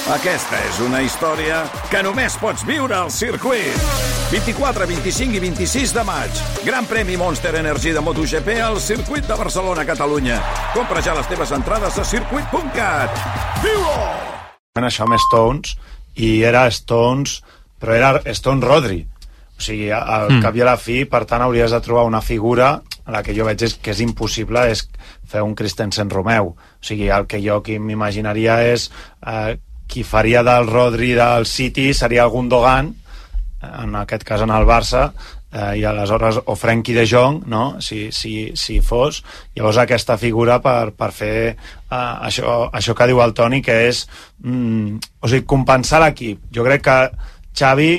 Aquesta és una història que només pots viure al circuit. 24, 25 i 26 de maig. Gran premi Monster Energy de MotoGP al circuit de Barcelona, Catalunya. Compra ja les teves entrades a circuit.cat. Viu-ho! Això amb Stones, i era Stones, però era Stones Rodri. O sigui, al cap i a la fi, per tant, hauries de trobar una figura en la que jo veig que és impossible és fer un Christensen Romeu. O sigui, el que jo m'imaginaria és qui faria del Rodri del City seria el Gundogan, en aquest cas en el Barça, i aleshores o Frenkie de Jong, no? si fos. Llavors aquesta figura per fer això que diu el Toni, que és o sigui, compensar l'equip. Jo crec que Xavi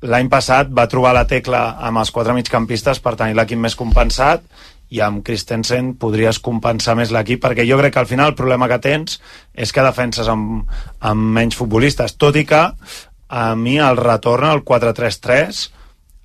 l'any passat va trobar la tecla amb els 4 migcampistes per tenir l'equip més compensat, i amb Christensen podries compensar més l'equip, perquè jo crec que al final el problema que tens és que defenses amb menys futbolistes, tot i que a mi el retorn al 4-3-3,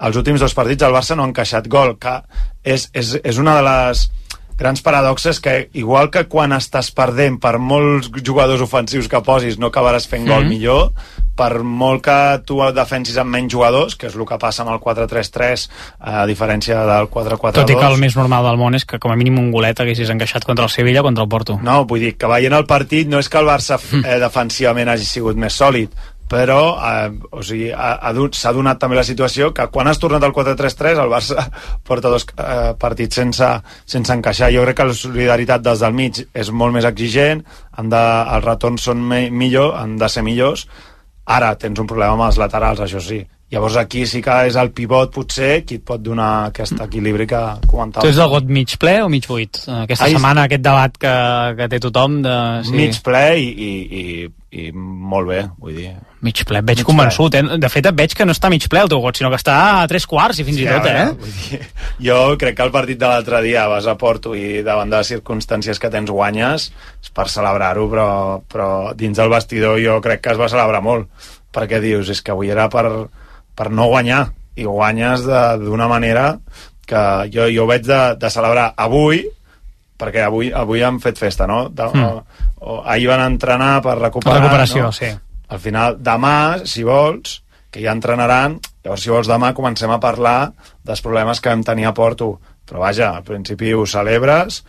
els últims 2 partits el Barça no ha encaixat gol, que és una de les grans paradoxes, que igual que quan estàs perdent per molts jugadors ofensius que posis no acabaràs fent gol millor, per molt que tu defensis amb menys jugadors, que és el que passa amb el 4-3-3 a diferència del 4-4-2. Tot i que el més normal del món és que com a mínim un golet haguessis encaixat contra el Sevilla o contra el Porto. No, vull dir que veient el partit no és que el Barça defensivament hagi sigut més sòlid, però o sigui, s'ha donat també la situació que quan has tornat al 4-3-3 el Barça porta 2 partits sense encaixar. Jo crec que la solidaritat dels del mig és molt més exigent, els retorns són han de ser millors. Ara tens un problema amb els laterals, això sí. Llavors aquí sí que és el pivot potser qui et pot donar aquest equilibri que comentava. Tu ets del got mig ple o mig buit? Aquesta setmana aquest debat que té tothom de... Sí. Mig ple i molt bé, vull dir. Mig ple, et veig convençut, De fet et veig que no està mig ple el teu got, sinó que està a 3/4 i fins i tot, Vull dir, jo crec que el partit de l'altre dia vas a Porto i davant de les circumstàncies que tens guanyes, és per celebrar-ho, però dins del vestidor jo crec que es va celebrar molt, perquè dius, és que avui era per no guanyar, i guanyes d'una manera que jo ho veig de celebrar avui, perquè avui han fet festa, no? Ahir van entrenar per recuperar, recuperació, no? Sí. Al final, demà, si vols, que ja entrenaran, llavors si vols demà comencem a parlar dels problemes que vam tenir a Porto, però vaja, al principi ho celebres,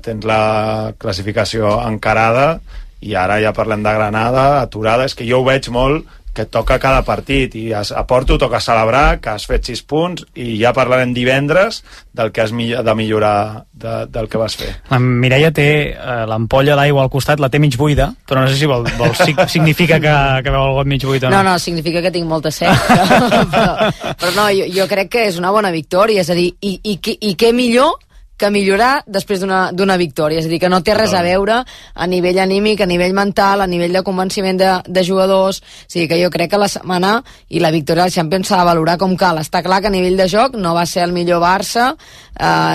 tens la classificació encarada, i ara ja parlem de Granada, aturada. És que jo ho veig molt que toca cada partit, i a Porto toca celebrar que has fet 6 punts, i ja parlarem divendres del que has de millorar del que vas fer. La Mireia té l'ampolla d'aigua al costat, la té mig buida, però no sé si significa que veu el got mig buit o no. No, significa que tinc molta set, però no, jo crec que és una bona victòria, és a dir, i què millor que millorar després d'una victòria, és a dir, que no té res a veure a nivell anímic, a nivell mental, a nivell de convenciment de jugadors. O sigui que jo crec que la setmana i la victòria del Champions s'ha de valorar com cal. Està clar que a nivell de joc no va ser el millor Barça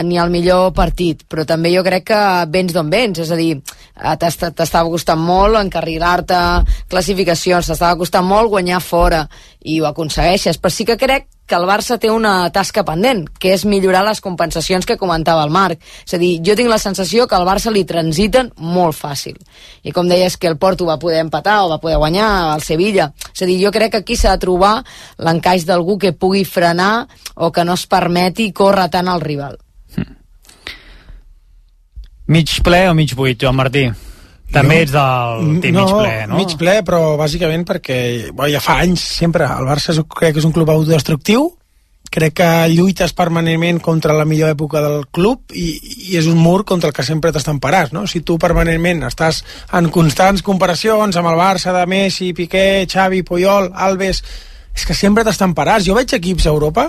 ni el millor partit, però també jo crec que vens d'on vens, és a dir, t'estava costant molt encarrilar-te classificacions, t'estava costant molt guanyar fora, i ho aconsegueixes, però sí que crec que el Barça té una tasca pendent, que és millorar les compensacions que comentava el Marc. És a dir, jo tinc la sensació que al Barça li transiten molt fàcil. I com deies que el Porto va poder empatar o va poder guanyar al Sevilla. És a dir, jo crec que aquí s'ha de trobar l'encaix d'algú que pugui frenar o que no es permeti córrer tant al rival. Mig ple o mig buit, Joan Martí? També ets del team mig ple, no? Mig ple, però bàsicament perquè ja fa anys sempre el Barça crec que és un club autodestructiu, crec que lluites permanentment contra la millor època del club i és un mur contra el que sempre t'estamparàs, no? Si tu permanentment estàs en constants comparacions amb el Barça de Messi, Piqué, Xavi, Puyol, Alves, és que sempre t'estamparàs. Jo veig equips a Europa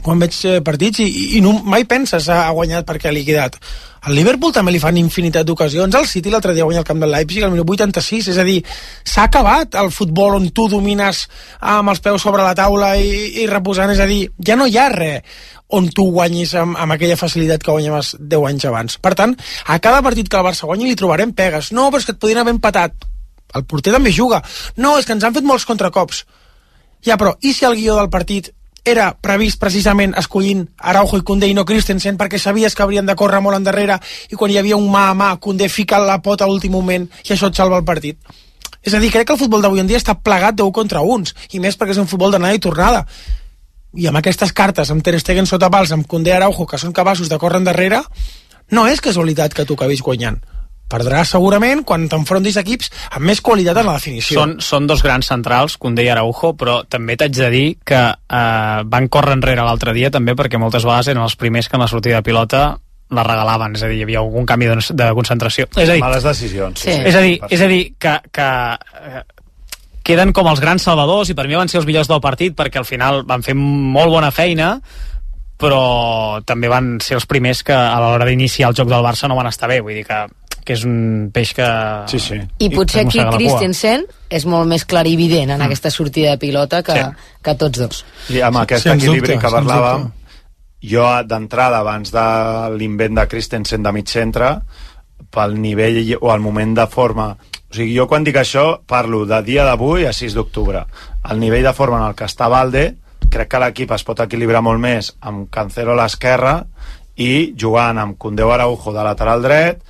quan veig partits i no, mai penses ha guanyat perquè ha liquidat. Al Liverpool també li fan infinitat d'ocasions, el City l'altre dia guanya el camp del Leipzig al minut 86, és a dir, s'ha acabat el futbol on tu domines amb els peus sobre la taula i reposant, és a dir, ja no hi ha res on tu guanyis amb aquella facilitat que guanyaves 10 anys abans. Per tant, a cada partit que el Barça guanyi li trobarem pegues. No, però és que et podrien haver empatat. El porter també juga. No, és que ens han fet molts contracops. Ja, però, i si el guió del partit era previst precisament escollint Araujo i Koundé i no Christensen perquè sabies que haurien de córrer molt endarrere i quan hi havia un mà a mà Koundé fica la pota a l'últim moment i això et salva el partit? És a dir, crec que el futbol d'avui en dia està plegat d'1 contra 1, i més perquè és un futbol d'anada i tornada. I amb aquestes cartes, amb Ter Stegen sota pals, amb Koundé, Araujo, que són capaços de córrer endarrere, no és casualitat que tu acabis guanyant. Perdràs segurament quan t'enfrontis equips amb més qualitat en la definició. Són dos grans centrals, Koundé i Araujo, però també t'haig de dir que van córrer enrere l'altre dia també perquè moltes vegades eren els primers que en la sortida de pilota la regalaven, és a dir, hi havia algun canvi de concentració. És a dir, males decisions. Sí. És a dir que queden com els grans salvadors i per mi van ser els millors del partit perquè al final van fer molt bona feina, però també van ser els primers que a l'hora d'iniciar el joc del Barça no van estar bé, vull dir que és un peix que... Sí, sí. I potser aquí Christensen és molt més clarivident en aquesta sortida de pilota que tots dos. I amb aquest equilibri que parlàvem, jo d'entrada, abans de l'invent de Christensen de mig centre, pel nivell o el moment de forma... O sigui, jo quan dic això parlo de dia d'avui a 6 d'octubre. El nivell de forma en el que està Balde, crec que l'equip es pot equilibrar molt més amb Cancelo a l'esquerra i jugant amb Koundé o Araujo de lateral dret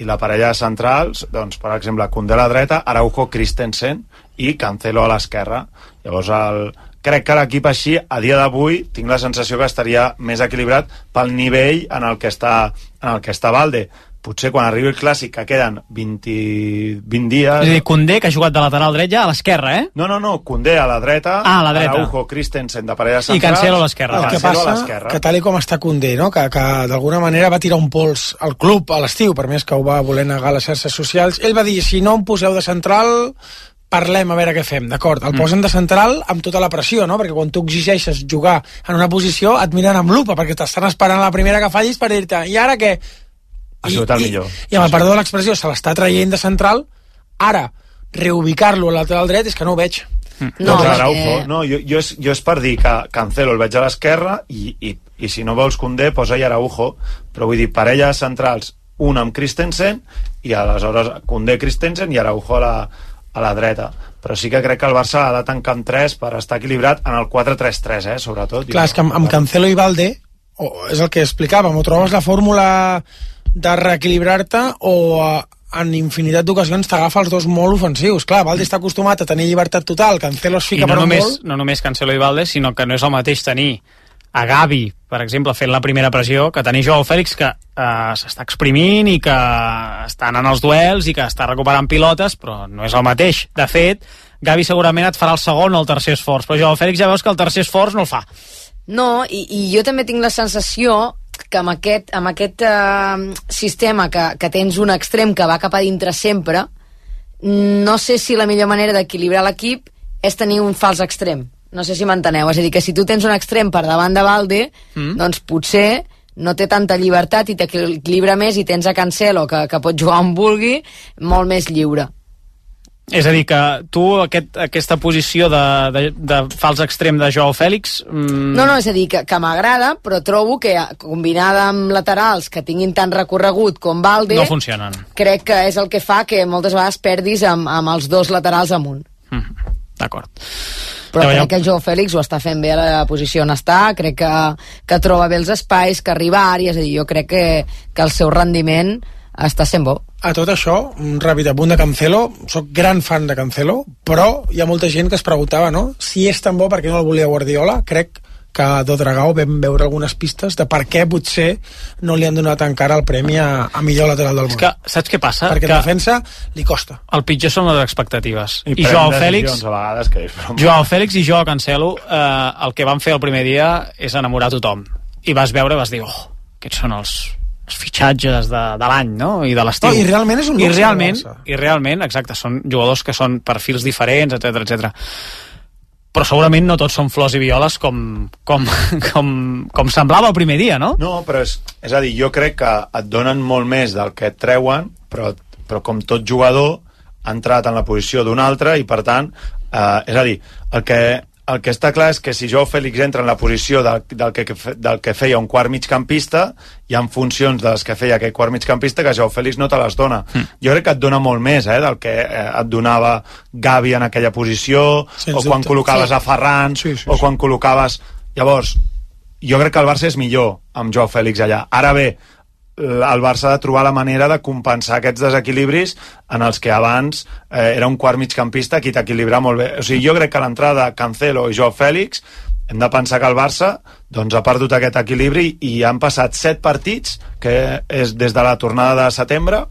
i la parella de centrals, doncs, per exemple, Koundé a la dreta, Araujo, Christensen i Cancelo a l'esquerra. Llavors, crec que l'equip així, a dia d'avui, tinc la sensació que estaria més equilibrat pel nivell en el que està Balde. Potser quan arribi el clàssic, que queden 20 dies... És a dir, Koundé, que ha jugat de lateral dret ja a l'esquerra, eh? No, Koundé a la dreta, a la dreta. Araujo, Christensen de parella central... I Cancelo a l'esquerra. El que passa, que tal com està Koundé, no? que d'alguna manera va tirar un pols al club a l'estiu, per més que ho va voler negar a les xarxes socials, ell va dir, si no em poseu de central... parlem a veure què fem, d'acord? El posen de central amb tota la pressió, no? Perquè quan tu exigeixes jugar en una posició et miren amb lupa, perquè t'estan esperant la primera que fallis per dir-te, i ara què? Ha sigut el millor. I amb el perdó de l'expressió, se l'està traient de central, ara, reubicar-lo al lateral dret és que no ho veig. No, Araujo, no, jo és per dir que Cancelo el veig a l'esquerra i si no vols Koundé, posa-hi Araujo, però vull dir, parella de centrals, un amb Christensen i aleshores Koundé, Christensen i Araujo a la dreta, però sí que crec que el Barça ha de tancar amb 3 per estar equilibrat en el 4-3-3, sobretot. Clar, és que amb Cancelo i Balde és el que explicàvem, o trobes la fórmula de reequilibrar-te o en infinitat d'ocasions t'agafa els dos molt ofensius. Clar, Balde està acostumat a tenir llibertat total, Cancelo es fica per un gol. No només Cancelo i Balde, sinó que no és el mateix tenir a Gavi, per exemple, fent la primera pressió, que tenir Joao Fèlix, que s'està exprimint i que està anant als duels i que està recuperant pilotes, però no és el mateix. De fet, Gavi segurament et farà el segon o el tercer esforç, però Joao Fèlix ja veus que el tercer esforç no el fa. No, i jo també tinc la sensació que amb aquest sistema que tens un extrem que va cap a dintre sempre, no sé si la millor manera d'equilibrar l'equip és tenir un fals extrem. No sé si m'enteneu, és a dir, que si tu tens un extrem per davant de Balde, doncs potser no té tanta llibertat i t'equilibra més i tens a Cancelo, que pot jugar on vulgui, molt més lliure. És a dir, que tu aquesta posició de fals extrem de Joao Fèlix... No, és a dir, que m'agrada, però trobo que combinada amb laterals que tinguin tant recorregut com Balde... No funcionen. Crec que és el que fa que moltes vegades perdis amb els dos laterals amunt. D'acord. Però crec que el Joao Fèlix ho està fent bé a la posició on està, crec que troba bé els espais, que arriba a àrees, és a dir, jo crec que el seu rendiment està sent bo. A tot això, un ràpid apunt de Cancelo, soc gran fan de Cancelo, però hi ha molta gent que es preguntava, no?, si és tan bo, per què no el volia Guardiola. Crec que a Dodragao vam veure algunes pistes de per què potser no li han donat encara el premi a millor lateral del món. És que, saps què passa? Perquè en defensa li costa. El pitjor són les expectatives. I Joao Fèlix, a vegades que Joao Fèlix i Joao Cancelo, el que van fer el primer dia és enamorar tothom. I vas veure i vas dir, aquests són els fitxatges de l'any, no?, i de l'estiu. I realment és un luxe. I realment, exacte, són jugadors que són perfils diferents, etc. Però segurament no tots són flors i violes com semblava el primer dia, no? No, però és a dir, jo crec que et donen molt més del que et treuen, però com tot jugador ha entrat en la posició d'un altre i per tant, és a dir, el que està clar és que si Joao Fèlix entra en la posició del que feia un quart migcampista, hi ha funcions de les que feia aquest quart migcampista que Joao Fèlix no te les dona. Jo crec que et dona molt més del que et donava Gavi en aquella posició, o quan col·locaves a Ferran, o quan col·locaves... Llavors, jo crec que el Barça és millor amb Joao Fèlix allà. Ara bé, el Barça ha de trobar la manera de compensar aquests desequilibris en els que abans era un quart migcampista qui t'equilibra molt bé. O sigui, jo crec que l'entrada de Cancelo i Joao Fèlix hem de pensar que el Barça doncs, ha perdut aquest equilibri i han passat 7 partits, que és des de la tornada de setembre,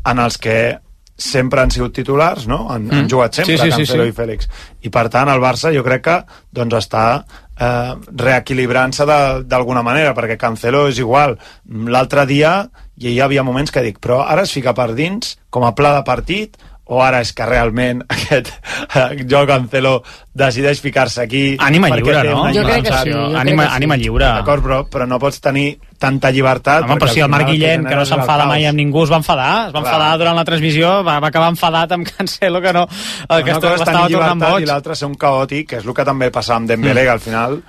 en els que sempre han sigut titulars, no? Han jugat sempre Cancelo i Fèlix. I per tant el Barça jo crec que doncs, està reequilibrant-se d'alguna manera, perquè Cancelo és igual. L'altre dia hi havia moments que dic, però ara es fica per dins com a pla de partit, o ara és que realment aquest Joao Cancelo decideix ficar-se aquí... Ànima lliure, no? Jo crec que sí. Ànima lliure. D'acord, però no pots tenir tanta llibertat... Home, però si el Marc Guillén, que no s'enfada mai amb ningú, es va enfadar. Es va enfadar durant la transmissió, va acabar enfadat amb Cancelo, que no... Que estava tornant boig. I l'altre ser un caòtic, que és el que també passava amb Dembélé, que al final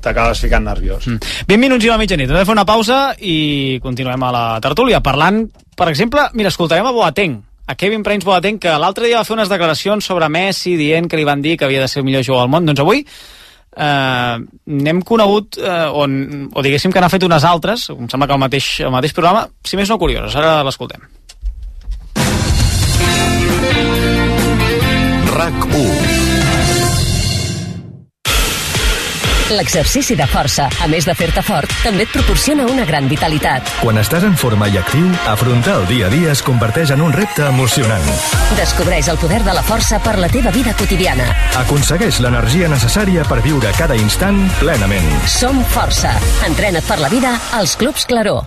t'acabes ficant nerviós. 20 minuts i la mitjanit. Hem de fer una pausa i continuem a la tertúlia. Parlant, per exemple, mira, escoltarem a Boateng, a Kevin Prince Boateng, que l'altre dia va fer unes declaracions sobre Messi dient que li van dir que havia de ser el millor jugador del món. Doncs avui n'hem conegut o diguéssim que n'ha fet unes altres, em sembla que el mateix programa, si més no curioses. Ara l'escoltem. RAC1. L'exercici de força, a més de fer-te fort, també et proporciona una gran vitalitat. Quan estàs en forma i actiu, afrontar el dia a dia es converteix en un repte emocionant. Descobreix el poder de la força per la teva vida quotidiana. Aconsegueix l'energia necessària per viure cada instant plenament. Som Força. Entrena't per la vida als Clubs Claró.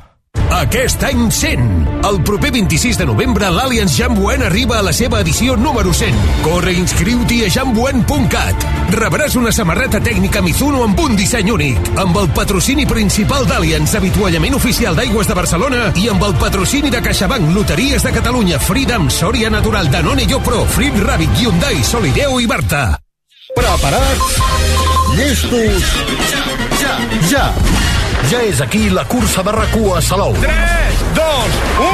Aquest any 100. El proper 26 de novembre l'Allianz Jamboen arriba a la seva edició número 100. Corre i inscriu-t'hi a jamboen.cat. Rebràs una samarreta tècnica Mizuno amb un disseny únic, amb el patrocini principal d'Allianz, avituallament oficial d'Aigües de Barcelona, i amb el patrocini de CaixaBank, Loteries de Catalunya, Freedom, Sòria Natural, Danone Yopro, Frit Rabbit, Hyundai, Solideo i Barta. Preparats? Llestos? Ja! Ja és aquí la cursa de RAC1 a Salou. 3, 2, 1...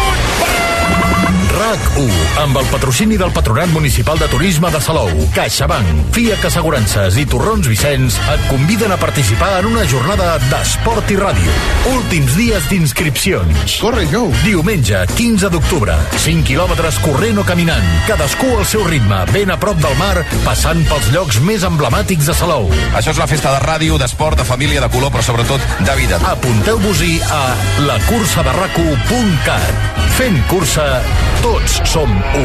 RAC1, amb el patrocini del Patronat Municipal de Turisme de Salou, CaixaBank, FIAC Assegurances i Torrons Vicenç et conviden a participar en una jornada d'esport i ràdio. Últims dies d'inscripcions. Corre, Joe! Diumenge, 15 d'octubre. 5 quilòmetres corrent o caminant. Cadascú al seu ritme, ben a prop del mar, passant pels llocs més emblemàtics de Salou. Això és la festa de ràdio, d'esport, de família, de color, però sobretot de vida. Apunteu-vos-hi a lacursaderacu.cat. Fent cursa, tots som u.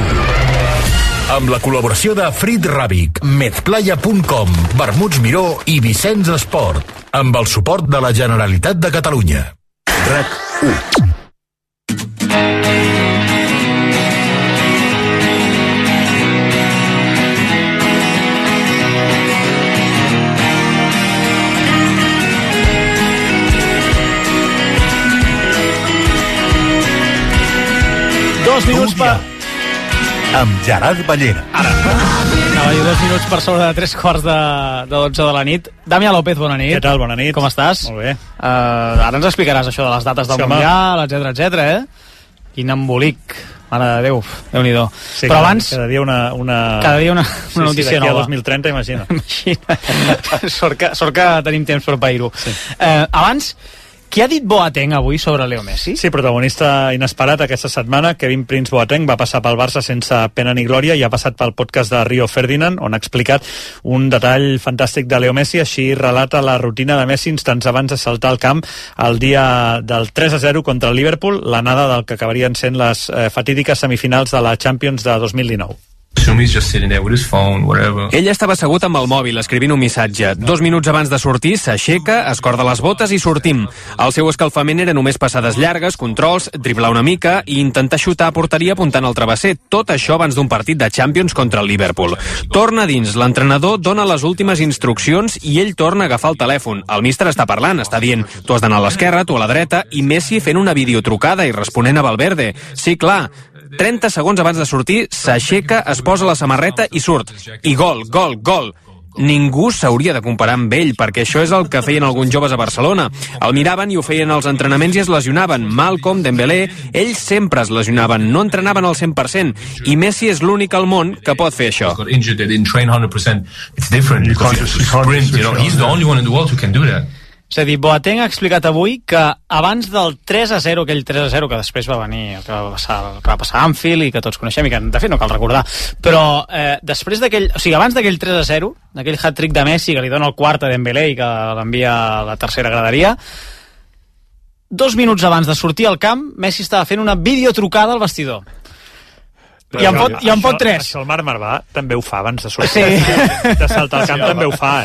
Amb la col·laboració de Frit Rabbit, Medplaya.com, Vermuts Miró i Vicenç Esport. Amb el suport de la Generalitat de Catalunya. RAC1. Minuts per... amb Gerard Ballera. Ara. Anava a dir 2 minuts per sobre de 3 quarts de 12 de la nit. Damià López, bona nit. Què tal, bona nit. Com estàs? Molt bé. Ara ens explicaràs això de les dates del Mundial, etcètera, Quin embolic. Mare de Déu, Déu-n'hi-do. Sí, però abans... Cada dia una notícia nova. Sí, 2030, imagina. Sort que tenim temps per pair-ho. Sí. Abans... Què ha dit Boateng avui sobre Leo Messi? Sí, protagonista inesperat aquesta setmana. Kevin Prince Boateng va passar pel Barça sense pena ni glòria i ha passat pel podcast de Rio Ferdinand, on ha explicat un detall fantàstic de Leo Messi. Així relata la rutina de Messi instants abans de saltar al camp el dia del 3-0 contra el Liverpool, l'anada del que acabarien sent les fatídiques semifinals de la Champions de 2019. Ell estava assegut amb el mòbil escrivint un missatge. 2 minuts abans de sortir s'aixeca, es corda les botes i sortim. El seu escalfament era només passades llargues, controls, driblar una mica i intentar xutar a porteria apuntant al travesser. Tot això abans d'un partit de Champions contra el Liverpool. Torna dins, l'entrenador dona les últimes instruccions i ell torna a agafar el telèfon. El míster està parlant, està dient tu has d'anar a l'esquerra, tu a la dreta, i Messi fent una videotrucada i responent a Valverde. Sí, clar, 30 segons abans de sortir, s'aixeca, es posa la samarreta i surt. I gol, gol, gol. Ningú s'hauria de comparar amb ell, perquè això és el que feien alguns joves a Barcelona. El miraven i ho feien als entrenaments i es lesionaven. Malcom, Dembélé, ells sempre es lesionaven, no entrenaven al 100%. I Messi és l'únic al món que pot fer això. És a dir, Boateng ha explicat avui que abans del 3-0, aquell 3-0 que després va venir, que va passar a Anfield i que tots coneixem i que de fet no cal recordar, però després d'aquell, o sigui, abans d'aquell 3-0, d'aquell hat-trick de Messi que li dona el quart a Dembélé i que l'envia a la tercera graderia, 2 minuts abans de sortir al camp, Messi estava fent una videotrucada al vestidor. I en pot 3. Això el Marc Marvà també ho fa abans de sortir. Sí. De saltar al camp també ho fa,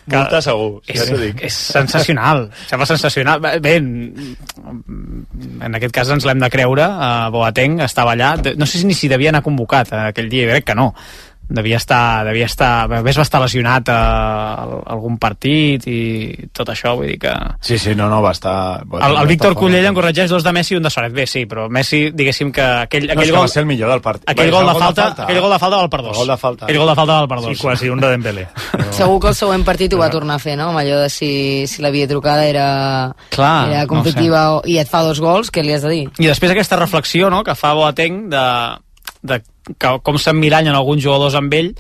Multa segur, ja t'ho dic. És sensacional, sembla sensacional. Bé, en aquest cas ens l'hem de creure. Boateng estava allà, no sé ni si devia anar convocat aquell dia, crec que no. Devia estar va estar lesionat a algun partit i tot això, vull dir que... Sí, no, va estar... El Víctor Cullell en corregeix 2 de Messi i 1 de Suárez. Bé, sí, però Messi, diguéssim que aquell gol... va ser el millor del partit. Aquell gol de falta val per 2. Aquell gol de falta val per 2. Sí, quasi un de Dembélé. Segur que el següent partit ho va tornar a fer, no? Amb allò de si la videotrucada era competitiva i et fa 2 gols, què li has de dir? I després aquesta reflexió, no?, que fa Boateng de com s'emmirallen alguns jugadors amb ell,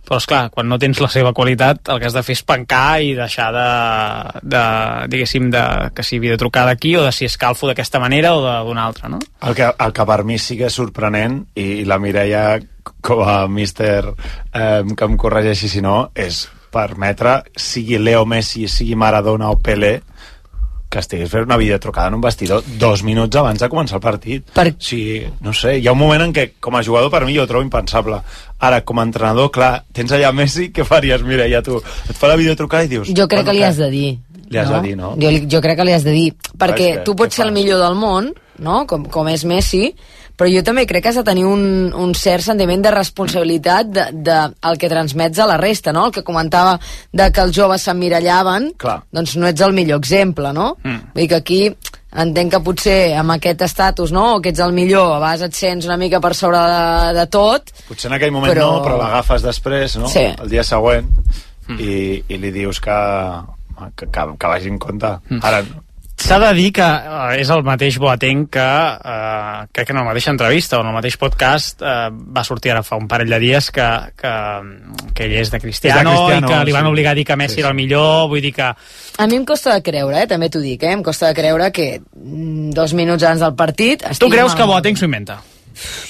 però esclar, quan no tens la seva qualitat el que has de fer és pencar i deixar diguéssim, que si videotrucada aquí o de si escalfo d'aquesta manera o d'una altra, no? El que per mi sí que és sorprenent, i la Mireia com a míster que em corregeixi si no, és permetre, sigui Leo Messi, sigui Maradona o Pelé, que estigués fent una videotrucada en un vestidor 2 minuts abans de començar el partit. Sí, no sé, hi ha un moment en què com a jugador per mi jo ho trobo impensable. Ara, com a entrenador, clar, tens allà Messi, què faries? Mira, ja tu et fa la videotrucada i dius... Jo crec que li has de dir. Li has de dir, no? Jo crec que li has de dir, perquè tu pots ser el millor del món, no?, com és Messi, però jo també crec que has de tenir un cert sentiment de responsabilitat del que transmets a la resta, no? El que comentava de que els joves s'emmirallaven, doncs no ets el millor exemple, no? Vull dir que aquí entenc que potser amb aquest estatus, no?, o que ets el millor, a vegades et sents una mica per sobre de tot. Potser en aquell moment però l'agafes després, no? Sí. El dia següent, i li dius que vagi en compte. Ara s'ha de dir que és el mateix Boateng que crec que en la mateixa entrevista o en el mateix podcast va sortir ara fa un parell de dies que ell és de Cristiano i que li van obligar a dir que Messi era el millor, vull dir que... A mi em costa de creure, també t'ho dic, em costa de creure que 2 minuts abans del partit... Tu creus que Boateng s'ho inventa?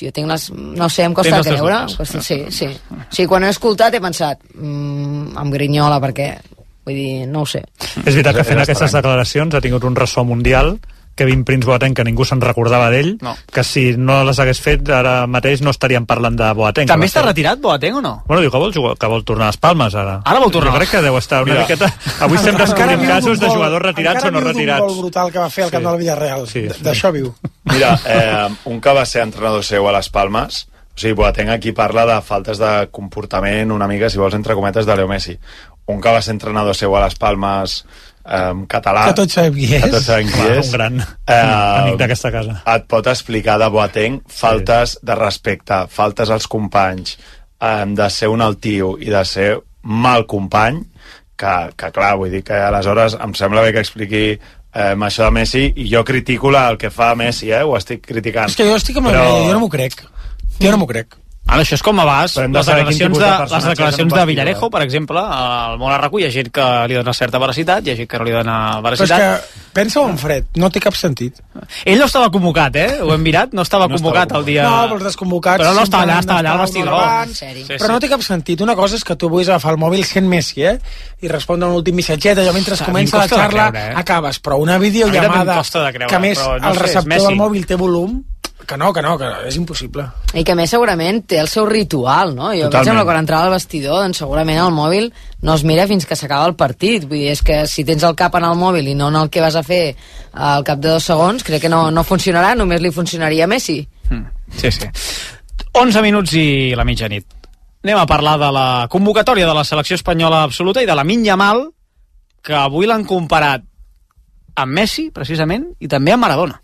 Jo tinc no sé, em costa de creure. Sí, quan he escoltat he pensat em grinyola perquè... Vull dir, no ho sé. És veritat que fent aquestes declaracions ha tingut un ressò mundial, Kevin Prince Boateng, que ningú se'n recordava d'ell, que si no les hagués fet ara mateix no estaríem parlant de Boateng. També està retirat Boateng o no? Bueno, diu que vol tornar a les Palmes ara. Ara vol tornar? Jo crec que deu estar una miqueta... Avui estem descobrint casos de jugadors retirats o no retirats. Encara viu d'un gol brutal que va fer al camp del Villarreal. D'això viu. Mira, un que va ser entrenador seu a les Palmes, o sigui, Boateng aquí parla de faltes de comportament una mica, si vols, entre cometes, de Leo Messi. Un que va ser entrenador seu a les Palmes català, que tots sabem qui és, un gran amic d'aquesta casa, et pot explicar de Boateng faltes de respecte, faltes als companys, de ser un altiu i de ser mal company, que clar, vull dir que aleshores em sembla bé que expliqui això de Messi, i jo critico el que fa Messi, ho estic criticant. És que jo estic amb jo no m'ho crec. Jo no m'ho crec. Ara, això és com abans, les declaracions de Villarejo, per exemple, al Món Arracú, hi ha gent que li dona certa veracitat, hi ha gent que no li dona veracitat. Però és que pensa-ho en fred, no té cap sentit. Ell no estava convocat, ho hem mirat, no estava convocat el dia... No, però els desconvocats... Però no estava allà al vestidor. Però no té cap sentit. Una cosa és que tu vulguis agafar el mòbil sent Messi, i respondre un últim missatget, allò mentre comença la xarra, acabes. Però una videollamada que, a més, el receptor del mòbil té volum, que és impossible. I que a més segurament té el seu ritual, no? Jo em sembla que quan entrava al vestidor, doncs segurament el mòbil no es mira fins que s'acaba el partit. Vull dir, és que si tens el cap en el mòbil i no en el que vas a fer al cap de 2 segons, crec que no funcionarà, només li funcionaria a Messi. Sí. 11 minuts i la mitjanit. Anem a parlar de la convocatòria de la selecció espanyola absoluta i de Lamine Yamal, que avui l'han comparat amb Messi, precisament, i també amb Maradona.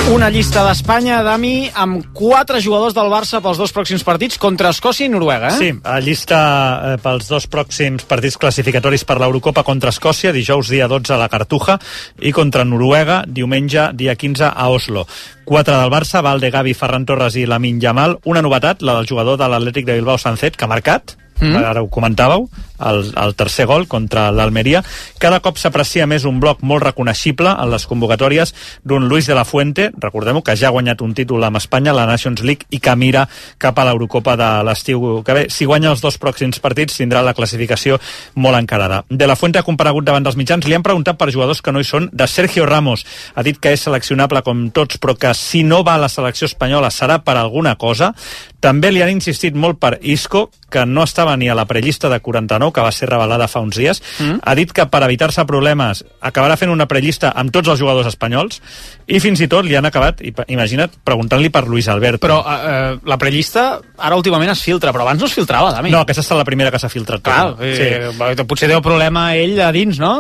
Una llista d'Espanya, Dami, amb 4 jugadors del Barça pels 2 pròxims partits contra Escòcia i Noruega, Sí, a llista pels 2 pròxims partits classificatoris per l'Eurocopa contra Escòcia, dijous dia 12 a la Cartuja, i contra Noruega, diumenge dia 15 a Oslo. 4 del Barça, Valde, Gavi, Ferran Torres i Lamine Yamal. Una novetat, la del jugador de l'Atlètic de Bilbao, Sancet, que ha marcat, ara ho comentàveu, el tercer gol contra l'Almeria. Cada cop s'aprecia més un bloc molt reconeixible en les convocatòries d'un Luis de la Fuente, recordem-ho, que ja ha guanyat un títol amb Espanya, la Nations League, i que mira cap a l'Eurocopa de l'estiu que ve. Si guanya els 2 pròxims partits tindrà la classificació molt encarada. De la Fuente ha comparegut davant dels mitjans, li han preguntat per jugadors que no hi són. De Sergio Ramos ha dit que és seleccionable com tots, però que si no va a la selecció espanyola serà per alguna cosa. També li han insistit molt per Isco, que no estava ni a la prellista de 49, que va ser revelada fa uns dies. Ha dit que per evitar-se problemes acabarà fent una prellista amb tots els jugadors espanyols, i fins i tot li han acabat, imagina't, preguntant-li per Luis Alberto. Però la prellista ara últimament es filtra, però abans no es filtrava, Dami. No, aquesta ha estat la primera que s'ha filtrat. Clar, potser deu problema ell a dins, no?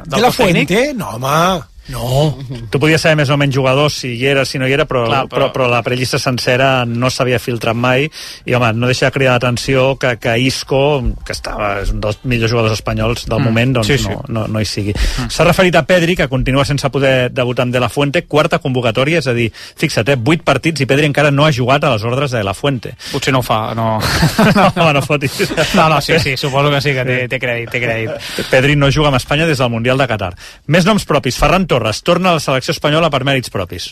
De la Fuente? No, home... No. Tu podies saber més o menys jugadors si hi era, si no hi era, però la prellista sencera no s'havia filtrat mai, i home, no deixa de cridar l'atenció que Isco, que és un dels millors jugadors espanyols del moment, doncs no hi sigui. S'ha referit a Pedri, que continua sense poder debutar amb De La Fuente, 4ª convocatòria, és a dir, fixa't, 8 partits i Pedri encara no ha jugat a les ordres de De La Fuente. Potser no ho fa, no. No fotis. No, sí, suposo que sí, que té crèdit. Pedri no juga amb Espanya des del Mundial de Qatar. Més noms propis. Ferran Torres torna a la selecció espanyola per mèrits propis.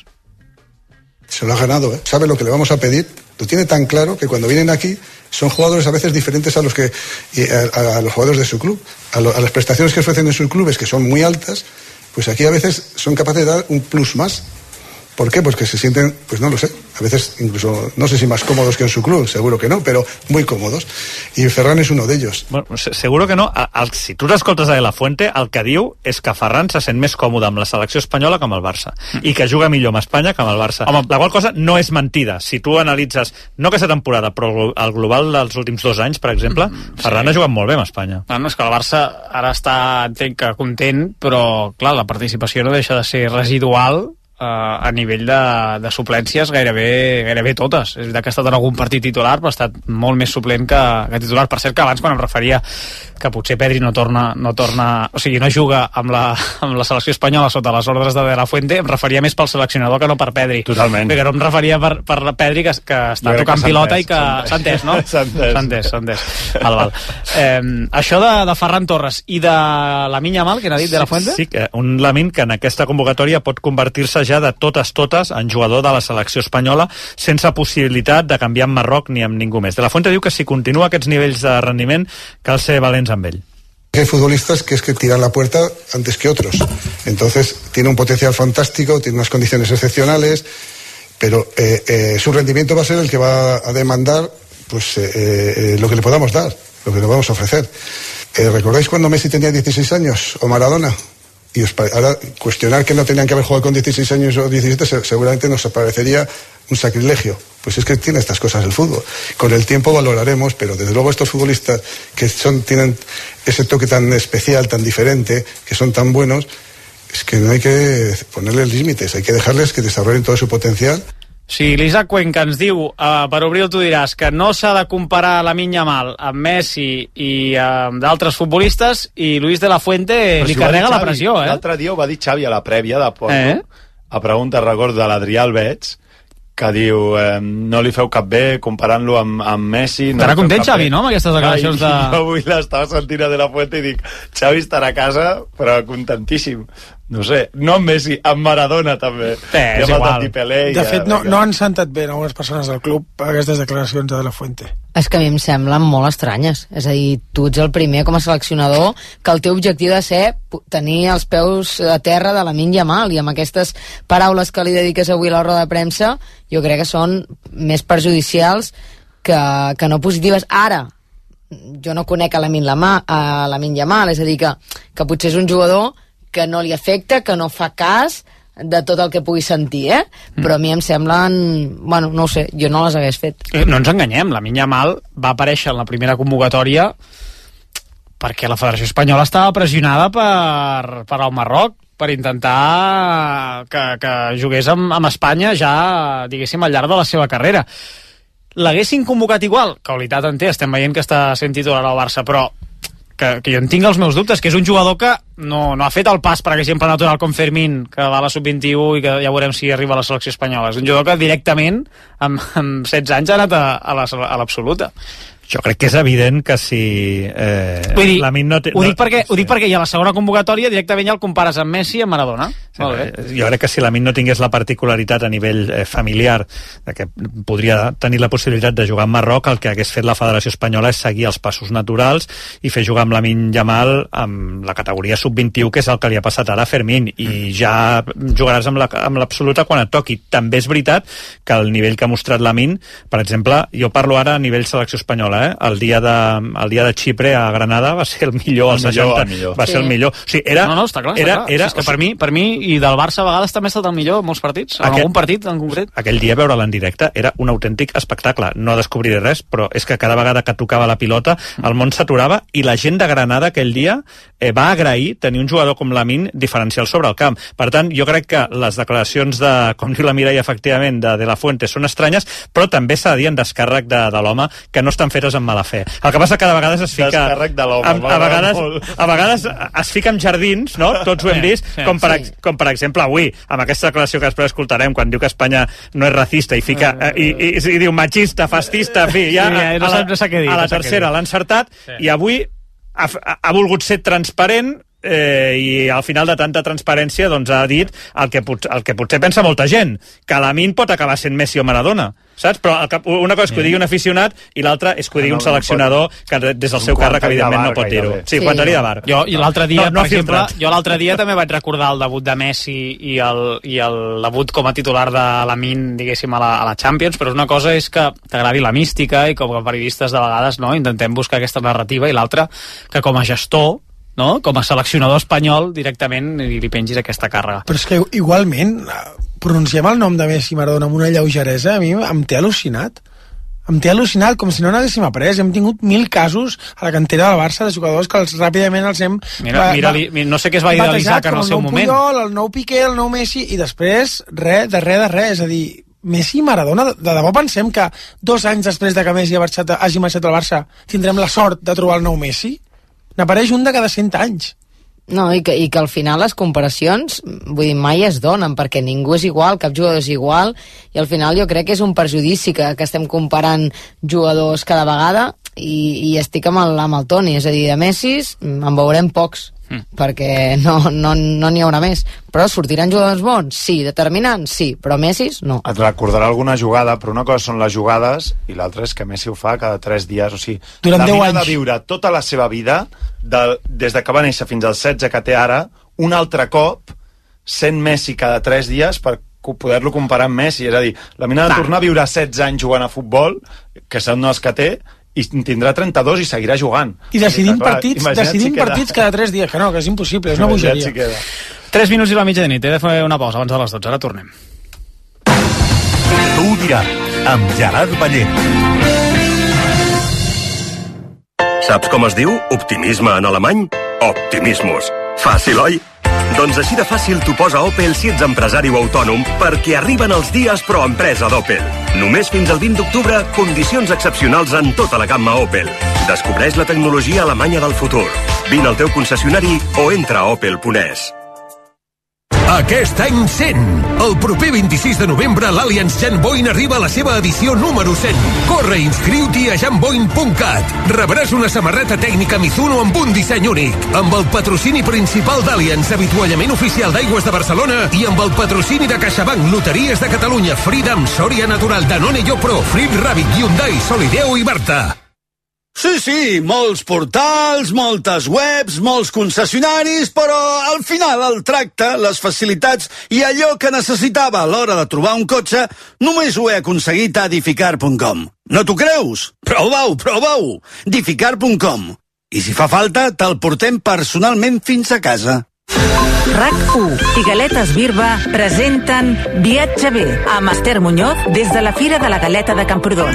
Se lo ha ganado, ¿eh? Sabe lo que le vamos a pedir, lo tiene tan claro que cuando vienen aquí son jugadores a veces diferentes a los jugadores de su club, a las prestaciones que ofrecen en sus clubes, que son muy altas, pues aquí a veces son capaces de dar un plus más. ¿Por qué? Pues que se sienten, pues no lo sé, a veces incluso, no sé si más cómodos que en su club, seguro que no, però muy cómodos. I Ferran és uno d'ells. Bueno, seguro que no. Si tu t'escoltes a De La Fuente, el que diu és que Ferran se sent més còmode amb la selecció espanyola que amb el Barça, i que juga millor amb Espanya que amb el Barça. La qual cosa no és mentida. Si tu analitzes, no aquesta temporada, però el global dels últims 2 anys, per exemple, Ferran ha jugat molt bé amb Espanya. No, és que el Barça ara està, entenc que content, però clar, la participació no deixa de ser residual a nivell de suplències gairebé totes. És veritat que ha estat en algun partit titular, però ha estat molt més suplent que titular. Per cert, que abans, quan em referia que potser Pedri no torna, o sigui, no juga amb la selecció espanyola sota les ordres de La Fuente, em referia més pel seleccionador que no per Pedri. Totalment. Perquè no em referia per Pedri, que està tocant pilota i que s'ha entès, no? S'ha entès. Val. Això de Ferran Torres i de Lamine Yamal, que n'ha dit De La Fuente? Sí, un Lamine que en aquesta convocatòria pot convertir-se ja de totes en jugador de la selecció espanyola, sense possibilitat de canviar amb Marroc ni amb ningú més. De La Fuente diu que si continua aquests nivells de rendiment cal ser valents amb ell. Hay futbolistas que es que tiran la puerta antes que otros, entonces tiene un potencial fantástico, tiene unas condiciones excepcionales, pero su rendimiento va a ser el que va a demandar pues lo que le podamos dar, lo que le vamos a ofrecer. ¿Recordáis cuando Messi tenía 16 años o Maradona? Y ahora cuestionar que no tenían que haber jugado con 16 años o 17 seguramente nos parecería un sacrilegio. Pues es que tiene estas cosas el fútbol. Con el tiempo valoraremos, pero desde luego estos futbolistas que tienen ese toque tan especial, tan diferente, que son tan buenos, es que no hay que ponerles límites, hay que dejarles que desarrollen todo su potencial. Sí, l'Isaac Cuenca ens diu, per obrir tu diràs, que no s'ha de comparar Lamine Yamal amb Messi i amb d'altres futbolistes, i Luis de la Fuente li carrega la pressió, eh? L'altre dia ho va dir Xavi a la prèvia de Porto, a pregunta record de l'Adrià Albeig, que diu, no li feu cap bé comparant-lo amb Messi. Estarà content Xavi, no?, amb aquestes declaracions de... Jo avui l'estava sentint a De La Fuente i dic, Xavi estarà a casa, però contentíssim. No sé, no amb Messi, amb Maradona també. És igual. De fet, no han sentat bé algunes persones del club aquestes declaracions de La Fuente. És que a mi em semblen molt estranyes. És a dir, tu ets el primer com a seleccionador que el teu objectiu de ser tenir els peus a terra de Lamine Yamal, i amb aquestes paraules que li dediques avui a la roda de premsa jo crec que són més perjudicials que no positives. Ara, jo no conec a Lamine Yamal, és a dir, que potser és un jugador que no li afecta, que no fa cas de tot el que pugui sentir, però a mi em semblen... Bueno, no ho sé, jo no les hagués fet. No ens enganyem, Lamine Yamal va aparèixer en la primera convocatòria perquè la Federació Espanyola estava pressionada per el Marroc, per intentar que jugués amb Espanya ja, diguéssim, al llarg de la seva carrera. L'haguessin convocat igual? Qualitat en té, estem veient que està sent titular al Barça, però que jo en tinc els meus dubtes, que és un jugador que no ha fet el pas, per exemple, natural com Fermín, que va a la sub-21 i que ja veurem si arriba a la selecció espanyola. És un jugador que directament, amb 16 anys, ha anat a l'absoluta. Jo crec que és evident que si Lamine no té... Ho dic perquè ja a la segona convocatòria directament ja el compares amb Messi i amb Maradona. Jo crec que si Lamine no tingués la particularitat a nivell familiar que podria tenir la possibilitat de jugar amb Marroc, el que hagués fet la Federació Espanyola és seguir els passos naturals i fer jugar amb Lamine Yamal amb la categoria sub-21, que és el que li ha passat ara a Fermín, i ja jugaràs amb l'absoluta quan et toqui. També és veritat que el nivell que ha mostrat Lamine, per exemple, jo parlo ara a nivell selecció espanyola, el dia de Xipre a Granada va ser el millor, el 60, va ser el millor. O sigui, està clar. És que per mi i del Barça a vegades també ha estat el millor en molts partits, en algun partit en concret. Aquell dia veure'l en directe era un autèntic espectacle. No descobriré res, però és que cada vegada que tocava la pilota el món s'aturava, i la gent de Granada aquell dia va agrair tenir un jugador com Lamine diferencial sobre el camp. Per tant, jo crec que les declaracions de, com diu la Mireia, efectivament, de la Fuente són estranyes, però també s'ha de dir en descàrrec de l'home que no estan fetes amb mala fe. El que passa que cada vegada es fica... Descàrrec de l'home. A vegades es fica en jardins, no? Tots ho hem vist, com per exemple avui, amb aquesta declaració que després escoltarem, quan diu que Espanya no és racista i fica i diu machista, fascista, en fi, ja a la tercera l'ha encertat, i avui ha volgut ser transparent, i al final de tanta transparència doncs ha dit el que potser pensa molta gent, que Lamine pot acabar sent Messi o Maradona, saps? Però una cosa és que ho digui un aficionat i l'altra és que ho digui un seleccionador que des del seu càrrec evidentment no pot dir-ho. Sí, comentari de bar. Jo l'altre dia, per exemple, l'altre dia també vaig recordar el debut de Messi i el debut com a titular de Lamine, diguéssim, a la Champions, però una cosa és que t'agradi la mística i com a periodistes de vegades intentem buscar aquesta narrativa, i l'altra que com a gestor, com a seleccionador espanyol, directament li pengis aquesta càrrega. Però és que igualment pronunciem el nom de Messi i Maradona amb una lleugeresa, a mi em té al·lucinat. Com si no n'haguéssim après. Hem tingut 1000 casos a la cantera del Barça de jugadors que ràpidament els hem... Mira, no sé què es va dir de l'Isaac en el seu moment. El nou Puyol, el nou Piqué, el nou Messi, i després res. És a dir, Messi i Maradona, de debò pensem que 2 anys després de que Messi hagi marxat al Barça tindrem la sort de trobar el nou Messi? N'apareix un de cada 100 anys. No, i que al final les comparacions, vull dir, mai es donen, perquè ningú és igual, cap jugador és igual, i al final jo crec que és un perjudici que estem comparant jugadors cada vegada, i estic amb el Toni, és a dir, de Messis en veurem pocs, perquè no n'hi haurà més. Però sortiran jugadors bons? Sí. Determinants? Sí. Però Messis, no. Et recordarà alguna jugada, però una cosa són les jugades i l'altra és que Messi ho fa cada 3 dies. O sigui, durant 10 anys. Ha de viure tota la seva vida, des de que va néixer fins als 16 que té ara, un altre cop sent Messi cada 3 dies per poder-lo comparar amb Messi. És a dir, la mina de tornar a viure 16 anys jugant a futbol, que són els que té, i tindrà 32 i seguirà jugant. I decidim partits cada 3 dies, que no, que és impossible, és una bogeria. 3 minuts i la mitja de nit, he de fer una pausa abans de les 12, ara tornem. Tu ho diràs, amb Gerard Ballent. Saps com es diu optimisme en alemany? Optimismus. Fàcil, oi? Doncs així de fàcil t'ho posa Opel si ets empresari o autònom, perquè arriben els dies pro empresa d'Opel. Només fins al 20 d'octubre, condicions excepcionals en tota la gamma Opel. Descobreix la tecnologia alemanya del futur. Vine al teu concessionari o entra a opel.es. Aquest any 100. El proper 26 de novembre l'Allianz Jan Boyn arriba a la seva edició número 100. Corre i inscriu-t'hi a janboyn.cat. Rebràs una samarreta tècnica Mizuno amb un disseny únic, amb el patrocini principal d'Allianz, avituallament oficial d'Aigües de Barcelona, i amb el patrocini de CaixaBank, Loteries de Catalunya, Freedom, Soria Natural, Danone Yopro, Frit Rabbit, Hyundai, Solideo i Barta. Sí, molts portals, moltes webs, molts concessionaris, però al final el tracte, les facilitats i allò que necessitava a l'hora de trobar un cotxe només ho he aconseguit a Edificar.com. No t'ho creus? Prova-ho! Edificar.com. I si fa falta, te'l portem personalment fins a casa. RAC1 i Galetes Birba presenten Viatge bé amb Esther Muñoz des de la Fira de la Galeta de Camprodon.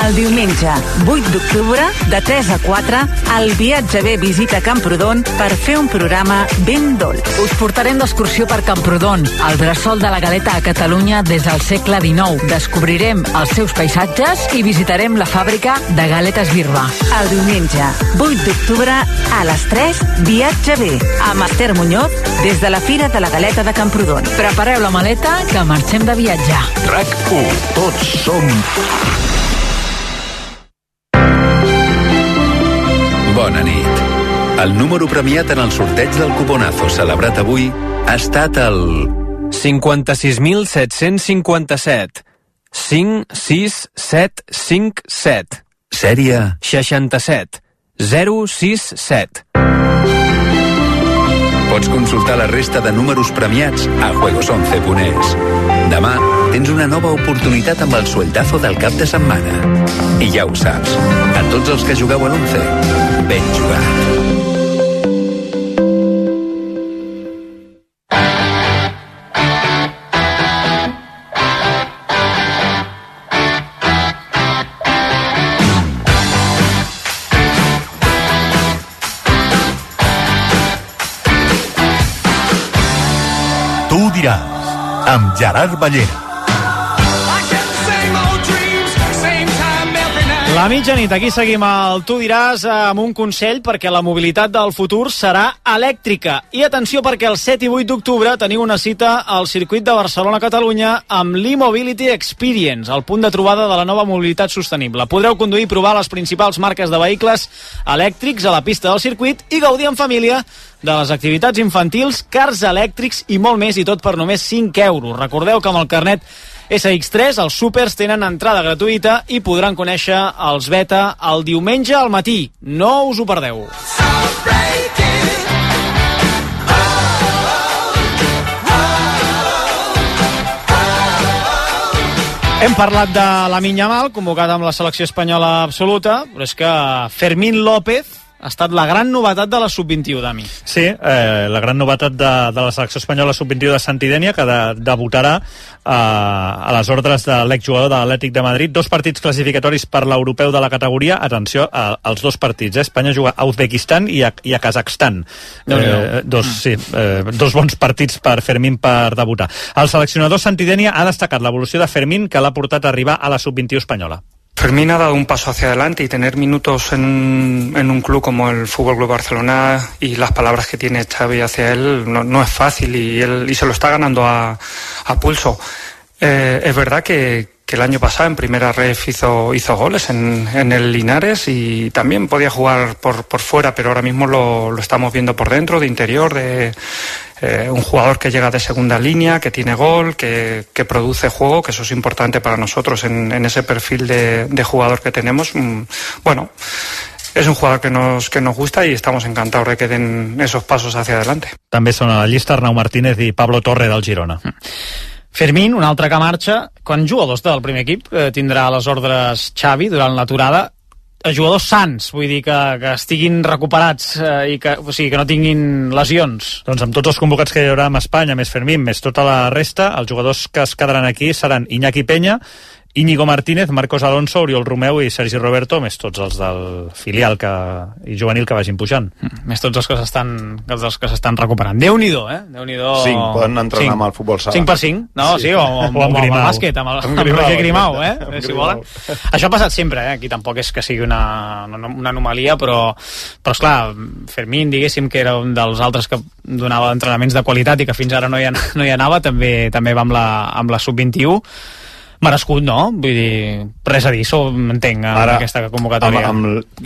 El diumenge 8 d'octubre, de 3 a 4, el Viatge bé visita Camprodon per fer un programa ben dolç. Us portarem d'excursió per Camprodon, el bressol de la galeta a Catalunya des del segle XIX. Descobrirem els seus paisatges i visitarem la fàbrica de Galetes Birba. El diumenge 8 d'octubre, a les 3, Viatge bé amb Esther Muñoz des de la Fira de la Galeta de Camprodon. Prepareu la maleta que marxem de viatge. RAC1. Tots som... Bona nit. El número premiat en el sorteig del cuponazo celebrat avui ha estat el... 56.757. 56757. Sèrie... 67. 067. Pots consultar la resta de números premiats a juegos11.es. Demà tens una nova oportunitat amb el sueldazo del cap de setmana. I ja ho saps, a tots els que jugueu a l'11, ben jugat. Tu diràs, amb Gerard Ballera. La mitjanit, aquí seguim el Tu diràs amb un consell perquè la mobilitat del futur serà elèctrica. I atenció perquè el 7 i 8 d'octubre teniu una cita al circuit de Barcelona-Catalunya amb l'e-Mobility Experience, el punt de trobada de la nova mobilitat sostenible. Podreu conduir i provar les principals marques de vehicles elèctrics a la pista del circuit i gaudir en família de les activitats infantils, cars elèctrics i molt més, i tot per només 5 euros. Recordeu que amb el carnet SX3 els súpers tenen entrada gratuïta i podran conèixer els beta el diumenge al matí. No us ho perdeu. Hem parlat de Lamine Yamal, convocat amb la selecció espanyola absoluta, però és que Fermín López ha estat la gran novetat de la Sub-21, Dami. Sí, la gran novetat de la selecció espanyola Sub-21 de Santidènia, que debutarà a les ordres de l'exjugador de l'Atlètic de Madrid. 2 partits classificatoris per l'europeu de la categoria. Atenció als 2 partits. Espanya juga a Uzbekistan i a Kazakhstan. Dos bons partits per Fermín per debutar. El seleccionador Santidènia ha destacat l'evolució de Fermín, que l'ha portat a arribar a la Sub-21 espanyola. Fermín ha dado un paso hacia adelante y tener minutos en un club como el Fútbol Club Barcelona y las palabras que tiene Xavi hacia él no es fácil y se lo está ganando a pulso. Es verdad que el año pasado en primera ref hizo goles en el Linares y también podía jugar por fuera, pero ahora mismo lo estamos viendo por dentro, de interior, un jugador que llega de segunda línea, que tiene gol, que produce juego, que eso es importante para nosotros en ese perfil de jugador que tenemos. Bueno, es un jugador que nos gusta y estamos encantados de que den esos pasos hacia adelante. També són a la llista Arnau Martínez i Pablo Torre del Girona. Fermín, un altre que marxa. Quan jugadors del primer equip tindrà a les ordres Xavi durant l'aturada? Jugadors sans, vull dir que estiguin recuperats i que no tinguin lesions. Doncs amb tots els convocats que hi haurà amb Espanya, més Fermín, més tota la resta, els jugadors que es quedaran aquí seran Iñaki Peña, Íñigo Martínez, Marcos Alonso, Oriol Romeu i Sergi Roberto, més tots els del filial i juvenil que vagin pujant. Més tots els que s'estan recuperant. Déu-n'hi-do, eh? Déu-n'hi-do. 5 poden entrenar amb el futbol sala. 5x5? No, sí, o amb el bàsquet, amb Roger Grimau, si volen. Això ha passat sempre, Aquí tampoc és que sigui una anomalia, però esclar, Fermín, diguéssim, que era un dels altres que donava entrenaments de qualitat i que fins ara no hi anava, també va amb la Sub-21. Merescut, no? Vull dir, res a dir, entenc, amb aquesta convocatòria.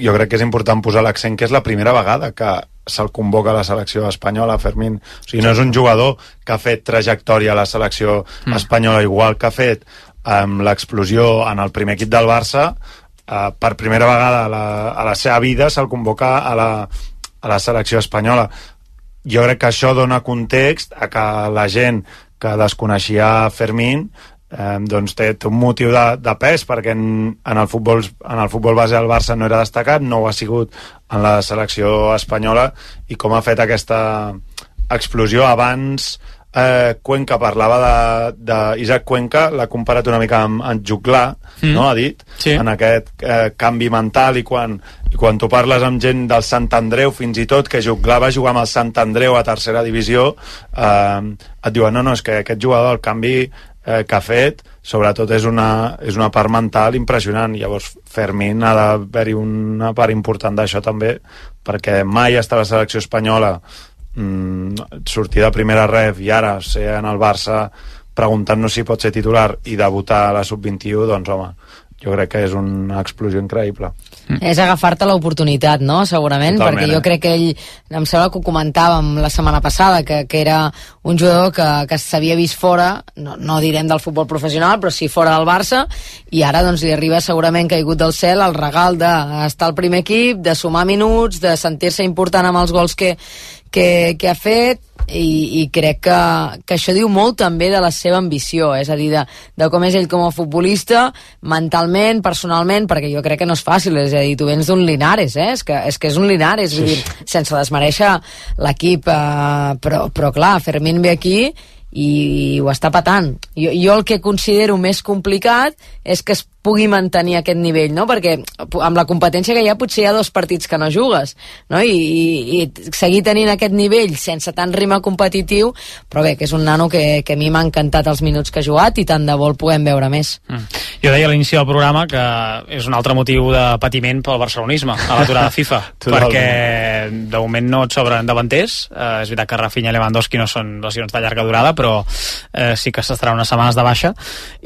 Jo crec que és important posar l'accent que és la primera vegada que se'l convoca a la selecció espanyola, Fermín. O sigui, no és un jugador que ha fet trajectòria a la selecció espanyola, igual que ha fet l'explosió en el primer equip del Barça. Per primera vegada a la seva vida se'l convoca a la selecció espanyola. Jo crec que això dona context a que la gent que desconeixia Fermín doncs té un motiu de pes, perquè en el futbol base del Barça no era destacat, no ho ha sigut en la selecció espanyola, i com ha fet aquesta explosió. Abans Cuenca parlava d'Isaac Cuenca, l'ha comparat una mica amb Juglar, no? Ha dit, en aquest canvi mental, i quan tu parles amb gent del Sant Andreu, fins i tot que Juglar va jugar amb el Sant Andreu a tercera divisió, et diuen, no, és que aquest jugador, el canvi que ha fet, sobretot és una part mental impressionant. Llavors Fermín ha d'haver-hi una part important d'això també, perquè mai està a la selecció espanyola, sortir de primera ref i ara ser en el Barça preguntant-nos si pot ser titular i debutar a la sub-21, doncs home, jo crec que és una explosió increïble. És agafar-te l'oportunitat, no? Segurament. Totalment, perquè jo crec que ell, em sembla que ho comentàvem la setmana passada, que era un jugador que s'havia vist fora, no direm del futbol professional, però sí fora del Barça, i ara doncs li arriba segurament caigut del cel el regal d'estar al primer equip, de sumar minuts, de sentir-se important amb els gols que ha fet, i crec que això diu molt també de la seva ambició, és a dir, de com és ell com a futbolista, mentalment, personalment, perquè jo crec que no és fàcil, és a dir, tu vens d'un Linares, és que és un Linares, vull dir, sense desmereixer l'equip, però clar, Fermín ve aquí i ho està patant. Jo el que considero més complicat és que es pugui mantenir aquest nivell, no? Perquè amb la competència que hi ha potser hi ha 2 partits que no jugues, no? I seguir tenint aquest nivell sense tant ritme competitiu, però bé, que és un nano que a mi m'ha encantat els minuts que ha jugat i tant de bo el puguem veure més. Jo deia a l'inici del programa que és un altre motiu de patiment pel barcelonisme a l'aturada FIFA, perquè de moment no et sobren davanters. És veritat que Rafinha i Lewandowski no són lesions de llarga durada, però sí que s'estaran unes setmanes de baixa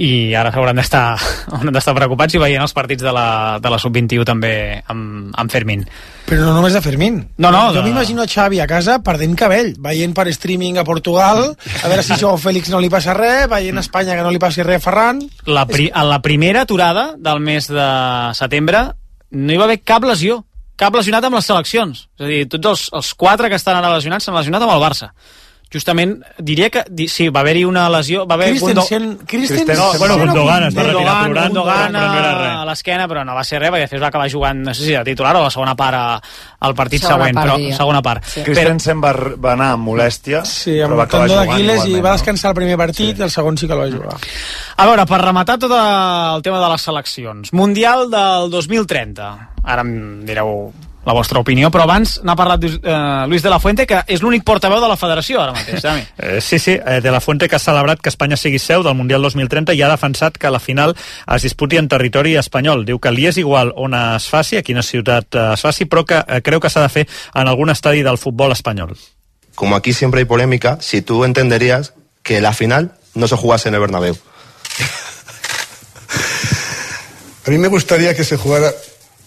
i ara hauran d'estar preocupats i veient els partits de la sub-21 també amb Fermín. Però no només de Fermín. Jo m'imagino a Xavi a casa perdent cabell, veient per streaming a Portugal, a veure si Joao Félix no li passa res, veient a Espanya que no li passi res a Ferran. En la primera aturada del mes de setembre no hi va haver cap lesionat amb les seleccions. És a dir, tots els 4 que estan ara lesionats s'han lesionat amb el Barça. Justament, diria que sí, va haver-hi una lesió, va haver Gundogan es va retirar plorant, però no era res a l'esquena, però no va ser res, perquè després va acabar jugant, no sé si de titular o la segona part al partit següent, però segona part. Christensen va anar amb molèstia, però va acabar jugant igualment, i va descansar el primer partit i el segon sí que el va jugar. A veure, per rematar tot el tema de les seleccions, Mundial del 2030, ara em direu la vostra opinió, però abans n'ha parlat Luis de la Fuente, que és l'únic portaveu de la federació ara mateix, Dami. Sí, de la Fuente, que ha celebrat que Espanya sigui seu del Mundial 2030 i ha defensat que la final es disputi en territori espanyol. Diu que li és igual on es faci, a quina ciutat es faci, però que creu que s'ha de fer en algun estadi del futbol espanyol. Como aquí siempre hay polémica, si tú entenderías que la final no se jugase en el Bernabéu. A mí me gustaría que se jugara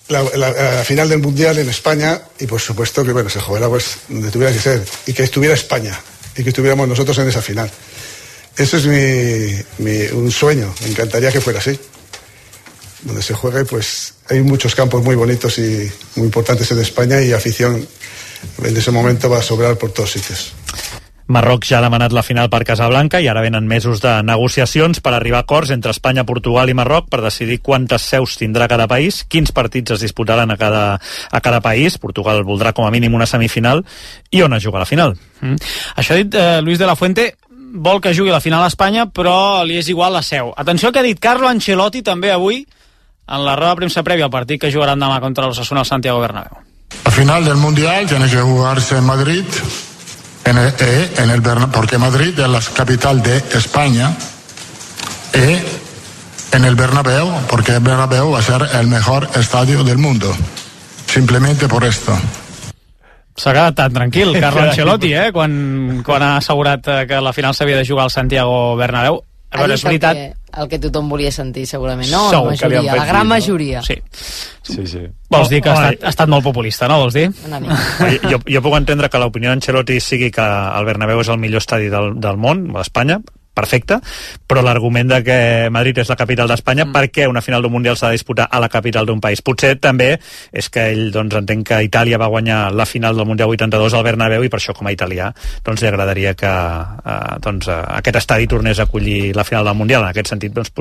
la final del Mundial en España y por supuesto que se jugara pues donde tuviera que ser y que estuviera España y que estuviéramos nosotros en esa final. Eso es un sueño, me encantaría que fuera así. Donde se juegue, pues hay muchos campos muy bonitos y muy importantes en España y afición en ese momento va a sobrar por todos sitios. Marroc ja ha demanat la final per Casablanca i ara venen mesos de negociacions per arribar a acords entre Espanya, Portugal i Marroc per decidir quantes seus tindrà cada país, quins partits es disputaran a cada país. Portugal voldrà com a mínim una semifinal i on es juga la final. Això ha dit Luis de la Fuente, vol que jugui la final a Espanya, però li és igual la seu. Atenció que ha dit Carlo Ancelotti també avui en la roda de premsa prèvia al partit que jugaran demà contra l'Osasuna al Santiago Bernabéu. La final del Mundial tiene que jugarse en Madrid, porque Madrid es la capital de España, en el Bernabéu, porque el Bernabéu va a ser el mejor estadio del mundo. Simplemente por esto. S'ha quedat tan tranquil, Carlo Ancelotti, quan ha assegurat que la final s'havia de jugar al Santiago Bernabéu. A veure, és veritat... El que tothom volia sentir, segurament, no? La majoria, la gran majoria. Sí. Vols dir que ha estat molt populista, no? Vols dir? Jo puc entendre que l'opinió d'Ancelotti sigui que el Bernabéu és el millor estadi del món, d'Espanya, perfecte, però l'argument de que Madrid és la capital d'Espanya, per què una final d'un Mundial s'ha de disputar a la capital d'un país? Potser també és que ell, doncs, entenc que Itàlia va guanyar la final del Mundial 82 al Bernabéu i per això, com a italià, doncs li agradaria que aquest estadi tornés a acollir la final del Mundial. En aquest sentit, doncs,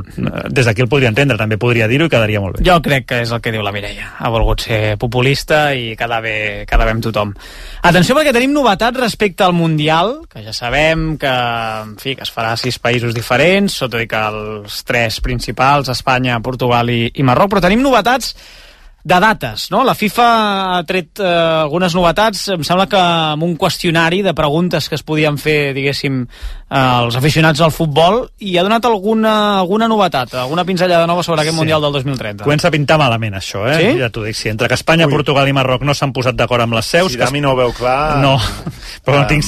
des d'aquí el podria entendre, també podria dir-ho i quedaria molt bé. Jo crec que és el que diu la Mireia. Ha volgut ser populista i quedar bé amb tothom. Atenció, perquè tenim novetats respecte al Mundial, que ja sabem que, en fi, que es farà a 6 països diferents, tot i que els 3 principals, Espanya, Portugal i Marroc, però tenim novetats de dates, no? La FIFA ha tret algunes novetats, em sembla que amb un qüestionari de preguntes que es podien fer, diguéssim, als aficionats al futbol, i ha donat alguna novetat, alguna pinzellada nova sobre aquest Mundial del 2030. Comença a pintar malament, això, Sí? Ja t'ho dic, sí. Entre que Espanya, Portugal i Marroc no s'han posat d'acord amb les seus... Si Dami no ho veu clar... No, però tenim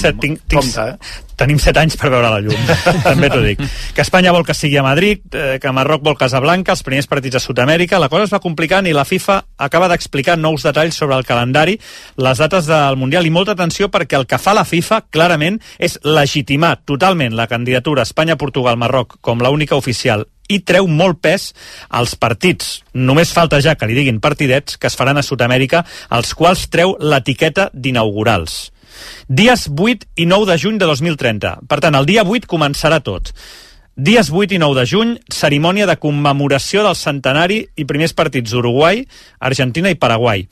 7 anys per veure la llum, també t'ho dic. Que Espanya vol que sigui a Madrid, que Marroc vol Casablanca, els primers partits a Sud-amèrica, la cosa es va complicant i la FIFA acaba d'explicar nous detalls sobre el calendari, les dates del Mundial, i molta atenció perquè el que fa la FIFA, clarament, és legitimar totalment la candidatura Espanya-Portugal-Marroc com l'única oficial i treu molt pes als partits. Només falta ja que li diguin partidets que es faran a Sud-amèrica, als quals treu l'etiqueta d'inaugurals. Dies 8 i 9 de juny de 2030. Per tant, el dia 8 començarà tot. Dies 8 i 9 de juny, cerimònia de commemoració del centenari i primers partits d'Uruguai, Argentina i Paraguai.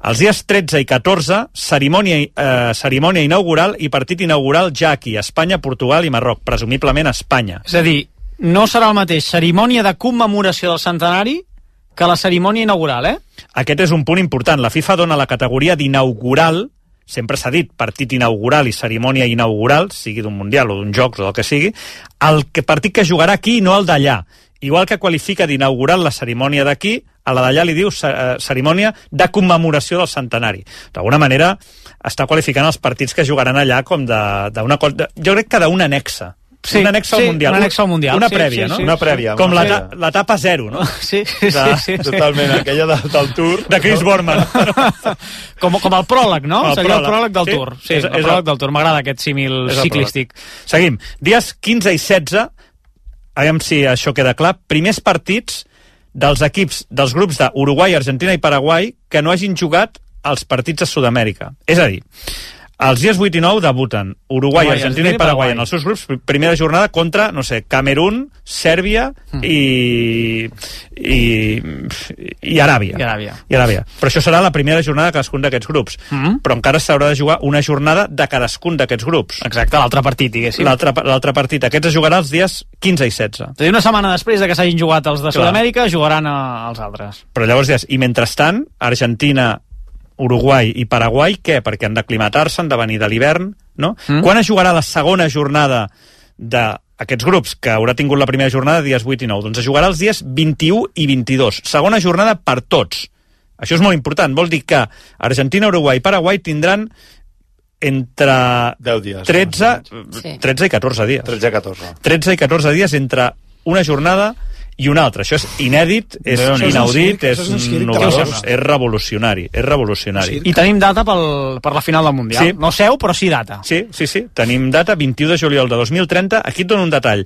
Els dies 13 i 14, cerimònia inaugural i partit inaugural ja aquí, Espanya, Portugal i Marroc, presumiblement a Espanya. És a dir, no serà el mateix cerimònia de commemoració del centenari que la cerimònia inaugural, Aquest és un punt important. La FIFA dona la categoria d'inaugural, sempre s'ha dit partit inaugural i cerimònia inaugural, sigui d'un Mundial o d'un Jocs o del que sigui, el partit que jugarà aquí i no el d'allà. Igual que qualifica d'inaugural la cerimònia d'aquí, a la d'allà li diu cerimònia de commemoració del centenari. D'alguna manera està qualificant els partits que jugaran allà com d'una cosa... Jo crec que d'una anexa. Sí, un annex al Mundial. Un annex al Mundial. Una prèvia, no? Una prèvia. Com l'etapa 0, no? Sí. Totalment, aquella del Tour. De Chris Borman. Com el pròleg, no? Seria el pròleg del Tour. Sí, és el pròleg del Tour. M'agrada aquest símil ciclístic. Seguim. Dies 15 i 16, aviam si això queda clar, primers partits dels equips dels grups d'Uruguai, Argentina i Paraguai que no hagin jugat els partits a Sud-amèrica. És a dir, els dies 8 i 9 debuten Uruguai, Argentina i Paraguai en els seus grups, primera jornada contra, no sé, Camerún, Sèrbia i Aràbia. I Aràbia. Però això serà la primera jornada de cadascun d'aquests grups. Però encara s'haurà de jugar una jornada de cadascun d'aquests grups. Exacte, l'altre partit, diguéssim. L'altre partit. Aquest es jugarà els dies 15 i 16. És a dir, una setmana després de que s'hagin jugat els de Sud-amèrica, jugaran els altres. Però llavors dius, i mentrestant, Argentina, Uruguai i Paraguai, què? Perquè han d'aclimatar-se, han de venir de l'hivern, no? Quan es jugarà la segona jornada d'aquests grups, que haurà tingut la primera jornada dies 8 i 9? Doncs es jugarà els dies 21 i 22. Segona jornada per tots. Això és molt important. Vol dir que Argentina, Uruguai i Paraguai tindran entre 10 dies, 13 i 14 dies. 13 i 14. 13 i 14 dies entre una jornada i un altre. Això és inèdit, és inaudit, és novedós, és revolucionari. I tenim data per la final del Mundial. Sí. No seu, però sí data. Sí. Tenim data, 21 de juliol de 2030. Aquí et dono un detall.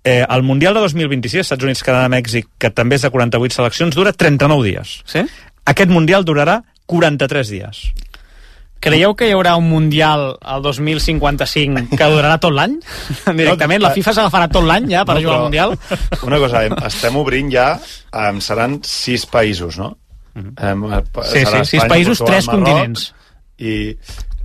El Mundial de 2026, Estats Units, Canadà, Mèxic, que també és de 48 seleccions, dura 39 dies. Sí? Aquest Mundial durarà 43 dies. Creieu que hi haurà un Mundial al 2055 que durarà tot l'any? Directament, la FIFA s'agafarà tot l'any ja per jugar al Mundial? Una cosa, estem obrint ja, seran 6 països, no? Sí, 6 països, 3 continents.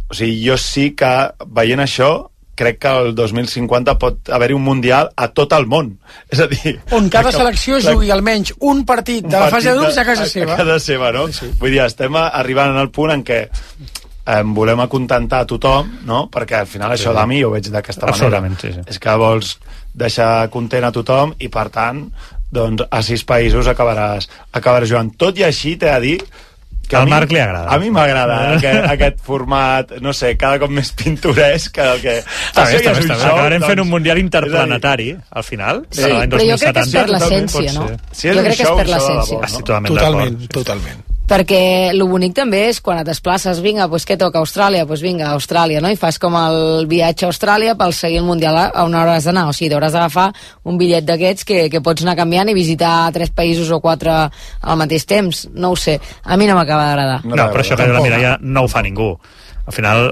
O sigui, jo sí que, veient això, crec que el 2050 pot haver-hi un Mundial a tot el món. És a dir... On cada selecció jugui almenys un partit de la fase de grups a casa seva. A casa seva, no? Sí. Vull dir, estem arribant al punt en què volem acontentar a tothom, no? Perquè al final això de mi ho veig d'aquesta manera. Sí. És que vols deixar content a tothom i per tant doncs a 6 països acabaràs jugant. Tot i així t'he de dir que al Marc li agrada. A mi m'agrada aquest format, no sé, cada cop més pintoresc que el que... Acabarem fent un Mundial interplanetari al final, l'any 2070. Però jo crec que és per l'essència, no? Jo crec que és per l'essència. Totalment. perquè el bonic també és quan et desplaces, vinga, doncs què toca? Austràlia? Doncs vinga, Austràlia, no? I fas com el viatge a Austràlia per seguir el Mundial a on hauràs d'anar, o sigui, hauràs d'agafar un bitllet d'aquests que pots anar canviant i visitar 3 països o 4 al mateix temps, no ho sé, a mi no m'acaba d'agradar. No, però això que mira, ja no ho fa ningú. Al final,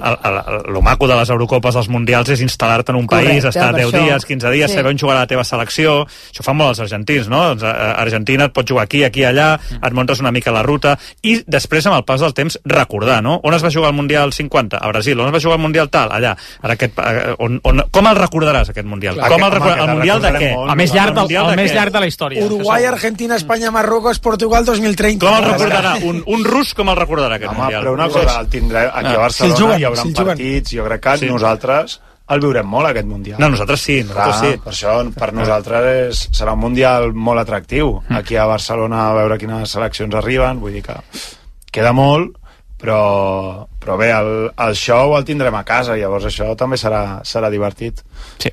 el maco de les Eurocopes dels Mundials és instal·lar-te en un país, estar 10 dies, 15 dies, saber on jugarà la teva selecció. Això fan molt els argentins, no? Argentina et pot jugar aquí, allà, et muntes una mica la ruta, i després, amb el pas del temps, recordar, no? On es va jugar el Mundial 50? A Brasil. On es va jugar el Mundial tal? Allà. Com el recordaràs, aquest Mundial? El Mundial de què? El més llarg de la història. Uruguai, Argentina, Espanya, Marruecos, Portugal, 2030. Com el recordarà? Un rus com el recordarà, aquest Mundial? Però una cosa, el tindrà aquí a Barcelona, hi haurà partits, jo crec que nosaltres el viurem molt, aquest Mundial. No, nosaltres sí. Per això, per nosaltres serà un Mundial molt atractiu. Aquí a Barcelona, a veure quines seleccions arriben, vull dir que queda molt, però bé, el show el tindrem a casa, llavors això també serà divertit. Sí.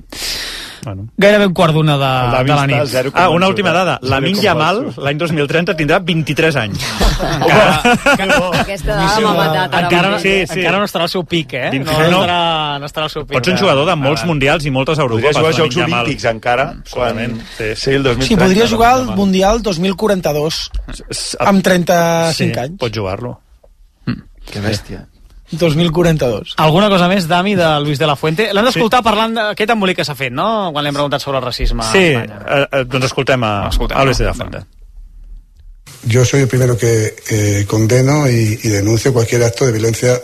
Bueno. Gairebé un quart d'una de la nit. Una última dada. Lamine Yamal, l'any 2030, tindrà 23 anys. Aquesta dada m'ha matat. Encara no estarà al seu pic, eh? No estarà al seu pic. Pots ser un jugador de molts mundials i moltes Eurocopes. Podria jugar als Jocs Olímpics encara. Sí, el 2030. Sí, podria jugar al Mundial 2042 amb 35 anys. Pots jugar-lo. Que bèstia. 2042. Alguna cosa més, Dami, de Luis de la Fuente? L'hem d'escoltar parlant d'aquest embolic que s'ha fet, no?, quan l'hem preguntat sobre el racisme. Sí, doncs escoltem a Luis de la Fuente. Yo soy el primero que condeno y denuncio cualquier acto de violencia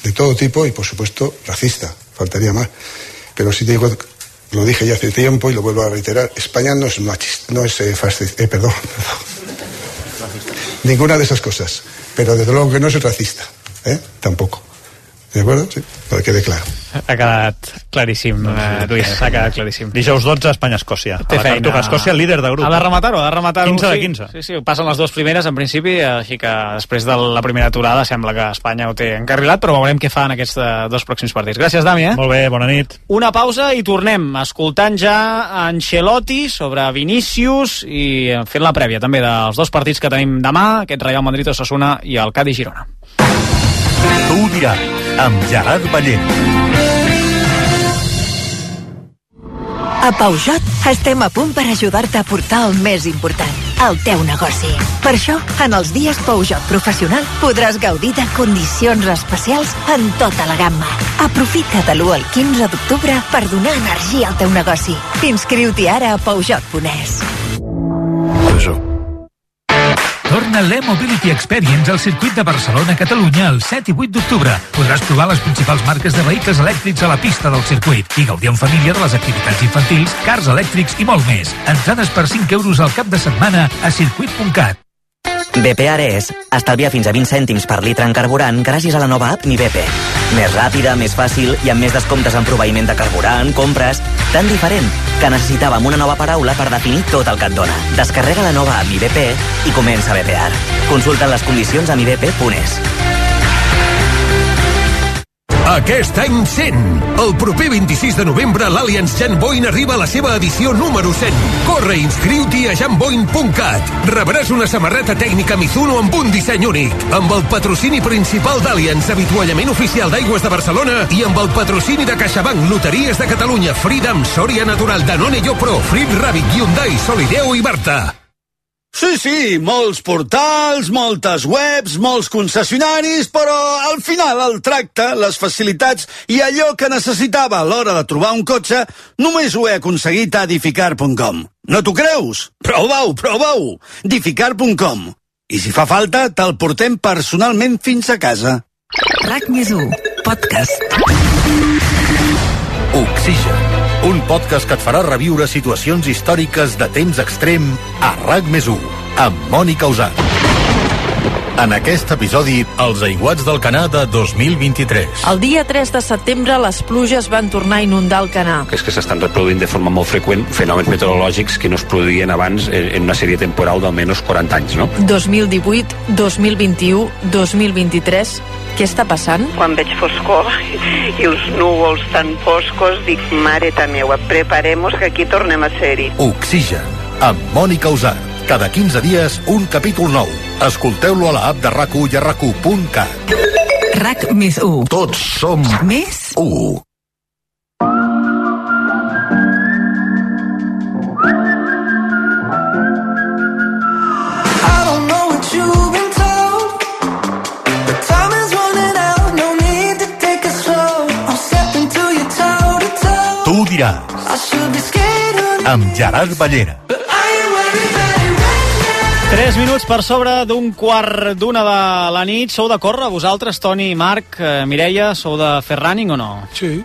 de todo tipo y, por supuesto, racista. Faltaría más. Pero sí te digo, lo dije ya hace tiempo y lo vuelvo a reiterar, España no es machista, no es fascista, perdón. Ninguna de esas cosas. Pero desde luego que no soy racista, tampoco. ¿De acuerdo? Sí, para que quede claro. Ha quedat claríssim, Lluís, ha quedat claríssim. Dijous 12, Espanya-Escòcia. A la Cartuja, Escòcia, líder de grup. Ha de rematar-ho, 15 de 15. Sí, passen les dues primeres, en principi, així que després de la primera aturada sembla que Espanya ho té encarrilat, però veurem què fa en aquests dos pròxims partits. Gràcies, Dami, Molt bé, bona nit. Una pausa i tornem, escoltant ja Ancelotti sobre Vinícius i fent la prèvia també dels dos partits que tenim demà, aquest Real Madrid-Osasuna i el Cádiz-Girona. Tu ho dirà, amb Gerard Ballent. A Peugeot estem a punt per ajudar-te a portar el més important, el teu negoci. Per això, en els dies Peugeot Professional podràs gaudir de condicions especials en tota la gamma. Aprofita de l'1 al 15 d'octubre per donar energia al teu negoci. Inscriu-t'hi ara a Peugeot.es. Torna l'E-Mobility Experience al circuit de Barcelona-Catalunya el 7 i 8 d'octubre. Podràs provar les principals marques de vehicles elèctrics a la pista del circuit i gaudir en família de les activitats infantils, cars elèctrics i molt més. Entrades per 5 euros al cap de setmana a circuit.cat. BP Ares estalvia fins a 20 cèntims per litre en carburant gràcies a la nova app Mi BP. Més ràpida, més fàcil i amb més descomptes en proveïment de carburant, compres... Tan diferent que necessitàvem una nova paraula per definir tot el que et dona. Descarrega la nova app Mi BP i comença a BPR. Consulta les condicions a mibp.es. Aquest any 100. El proper 26 de novembre l'Allianz Jan Boyn arriba a la seva edició número 100. Corre i inscriu-t'hi a janboyn.cat. Rebràs una samarreta tècnica Mizuno amb un disseny únic, amb el patrocini principal d'Allianz, avituallament oficial d'Aigües de Barcelona, i amb el patrocini de CaixaBank, Loteries de Catalunya, Freedom, Soria Natural, Danone Pro, Frit Rabbit, Hyundai, Solideo i Barta. Sí, molts portals, moltes webs, molts concessionaris, però al final el tracte, les facilitats i allò que necessitava a l'hora de trobar un cotxe només ho he aconseguit a Edificar.com. No t'ho creus? Prova-ho! Edificar.com. I si fa falta, te'l portem personalment fins a casa. RAC+1, podcast. Oxigen, un podcast que et farà reviure situacions històriques de temps extrem a RAC+1, amb Mònica Usat. En aquest episodi, els aiguats del Canà de 2023. El dia 3 de setembre, les pluges van tornar a inundar el Canà. És que s'estan reproduint de forma molt freqüent fenòmens meteorològics que no es produïen abans en una sèrie temporal d'almenys 40 anys, no? 2018, 2021, 2023... Què està passant? Quan veig foscor i els núvols tan foscos, dic, mareta meua, preparem-nos que aquí tornem a ser-hi. Oxigen, amb Mònica Usat. Cada 15 dies, un capítol nou. Escolteu-lo a la app de RAC1 i a RAC1.cat. RAC més 1. Tots som més 1. Tu ho diràs. Amb Gerard Ballera. 3 minuts per sobre d'un quart d'una de la nit. Sou de córrer, vosaltres, Toni, Marc, Mireia, sou de fer running o no? Sí.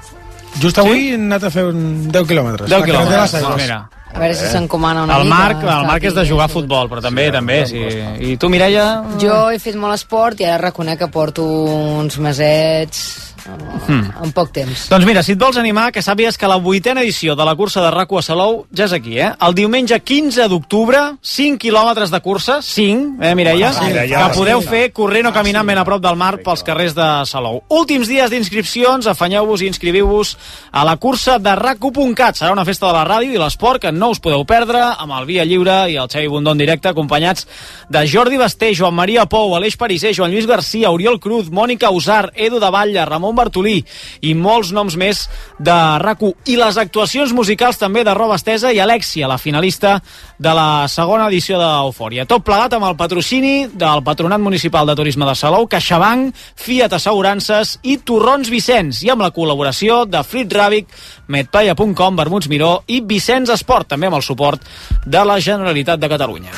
Just avui he anat a fer 10 quilòmetres. 10 quilòmetres, mira. A veure si s'encomana una el mica. El Marc és de jugar a futbol, però també. Sí. I tu, Mireia? Jo he fet molt esport i ara reconec que porto uns mesets en poc temps. Doncs mira, si et vols animar, que sàpies que la 8a edició de la cursa de RAC1 a Salou ja és aquí, El diumenge 15 d'octubre, 5 quilòmetres de cursa, 5, Mireia? Que podeu fer corrent o caminant ben a prop del mar pels carrers de Salou. Últims dies d'inscripcions, afanyeu-vos i inscriviu-vos a la cursa de RAC1.cat. Serà una festa de la ràdio i l'esport que no us podeu perdre, amb el Via Lliure i el Xavi Bundó en directe, acompanyats de Jordi Basté, Joan Maria Pou, Aleix Pariser, Joan Lluís Garcia, Oriol Cruz, Mònica Usar, Edu de Batlle, Ramon Bartolí i molts noms més de RAC1. I les actuacions musicals també de Roba Estesa i Alexia, la finalista de la segona edició d'Eufòria. Tot plegat amb el patrocini del Patronat Municipal de Turisme de Salou, CaixaBank, Fiat Assegurances i Torrons Vicenç, i amb la col·laboració de Frit Ràbic, Medplaya.com, Vermuts Miró i Vicenç Esport, també amb el suport de la Generalitat de Catalunya.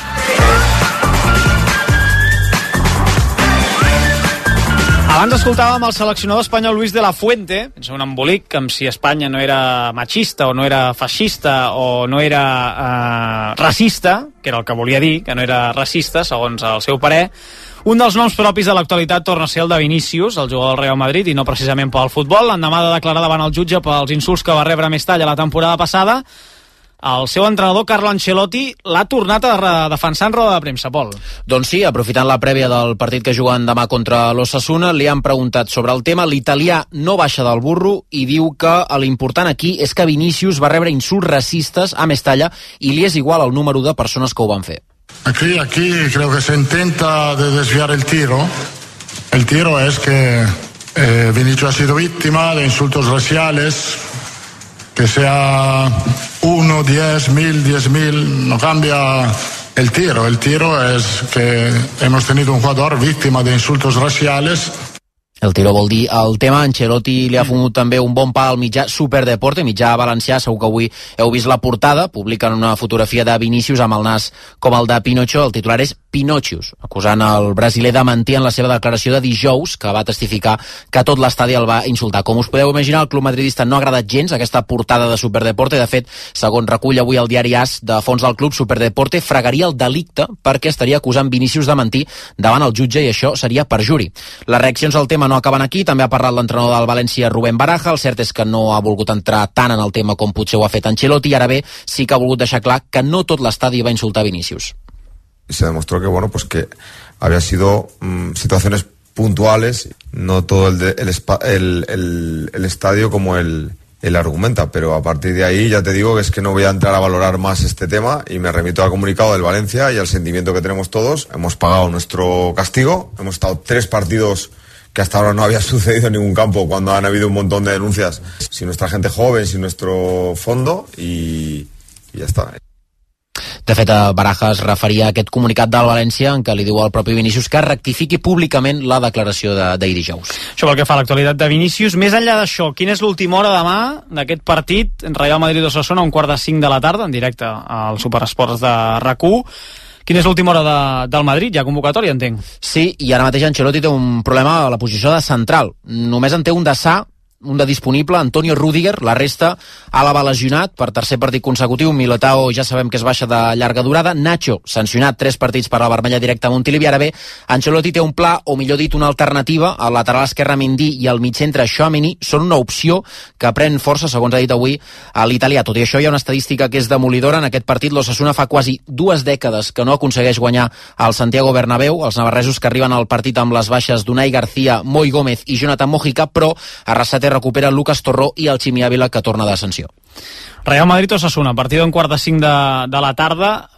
Abans escoltàvem el seleccionador espanyol Luis de la Fuente, és un embolic, com si Espanya no era machista o no era feixista o no era racista, que era el que volia dir, que no era racista, segons el seu parer. Un dels noms propis de l'actualitat torna a ser el de Vinícius, el jugador del Real Madrid, i no precisament pel futbol. L'endemà de declarar davant el jutge pels insults que va rebre a Mestalla la temporada passada, el seu entrenador, Carlo Ancelotti, l'ha tornat a defensar en roda de premsa, Pol. Doncs sí, aprofitant la prèvia del partit que juguen demà contra l'Osasuna, li han preguntat sobre el tema. L'italià no baixa del burro i diu que l'important aquí és que Vinícius va rebre insults racistes a Mestalla i li és igual el número de persones que ho van fer. Aquí creo que se intenta de desviar el tiro. El tiro es que Vinicius ha sido víctima de insultos raciales. Que sea 1, 10, 1000, 10.000, no cambia el tiro. El tiro es que hemos tenido un jugador víctima de insultos raciales. El tiro vol dir el tema. Ancelotti li ha fumut també un bon pa al mitjà Superdeporte, mitjà valencià. Segur que avui heu vist la portada. Publiquen una fotografia de Vinícius amb el nas com el de Pinocho. El titular és Pinocius, acusant el brasiler de mentir en la seva declaració de dijous, que va testificar que tot l'estadi el va insultar. Com us podeu imaginar, el club madridista no ha agradat gens aquesta portada de Superdeporte. De fet, segons recull avui el diari AS, de fons del club, Superdeporte fregaria el delicte perquè estaria acusant Vinícius de mentir davant el jutge i això seria perjuri. Les reaccions al tema no acaben aquí. També ha parlat l'entrenador del València, Rubén Baraja. El cert és que no ha volgut entrar tant en el tema com potser ho ha fet Ancelotti, i ara bé sí que ha volgut deixar clar que no tot l'estadi va insultar Vinícius. Se demostró que bueno, pues que había sido situaciones puntuales, no todo el estadio como él argumenta, pero a partir de ahí ya te digo que es que no voy a entrar a valorar más este tema y me remito al comunicado del Valencia y al sentimiento que tenemos todos. Hemos pagado nuestro castigo, hemos estado 3 partidos que hasta ahora no había sucedido en ningún campo cuando han habido un montón de denuncias sin nuestra gente joven, sin nuestro fondo y ya está. De fet, Baraja es referia a aquest comunicat del València en què li diu al propi Vinícius que rectifiqui públicament la declaració d'ahir dijous. Això pel que fa a l'actualitat de Vinícius. Més enllà d'això, quina és l'última hora demà d'aquest partit Real Madrid-Osasuna a 4:45 de la tarda, en directe al Superesports de RAC1? Quina és l'última hora del Madrid? Hi ha convocatòria, entenc. Sí, i ara mateix Ancelotti té un problema a la posició de central. Només en té un de sa, un de disponible, Antonio Rüdiger. La resta Álava lesionat per tercer partit consecutiu. Militao ja sabem que es baixa de llarga durada. Nacho sancionat 3 partits per la vermella directa a Montilivi. Ara bé, Ancelotti té un pla, o millor dit una alternativa. El lateral esquerre Mendy i el migcentre Tchouaméni són una opció que pren força, segons ha dit avui a l'italià. Tot i això, hi ha una estadística que és demolidora. En aquest partit l'Osasuna fa quasi 2 dècades que no aconsegueix guanyar al Santiago Bernabéu. Els navarresos que arriben al partit amb les baixes d'Unai García, Moi Gómez i Jonathan Mojica, però a Arrasate recupera Lucas Torró i el Ximi Ávila, que torna de sanció. Real Madrid-Osasuna, partido en 4:45 de la tarda.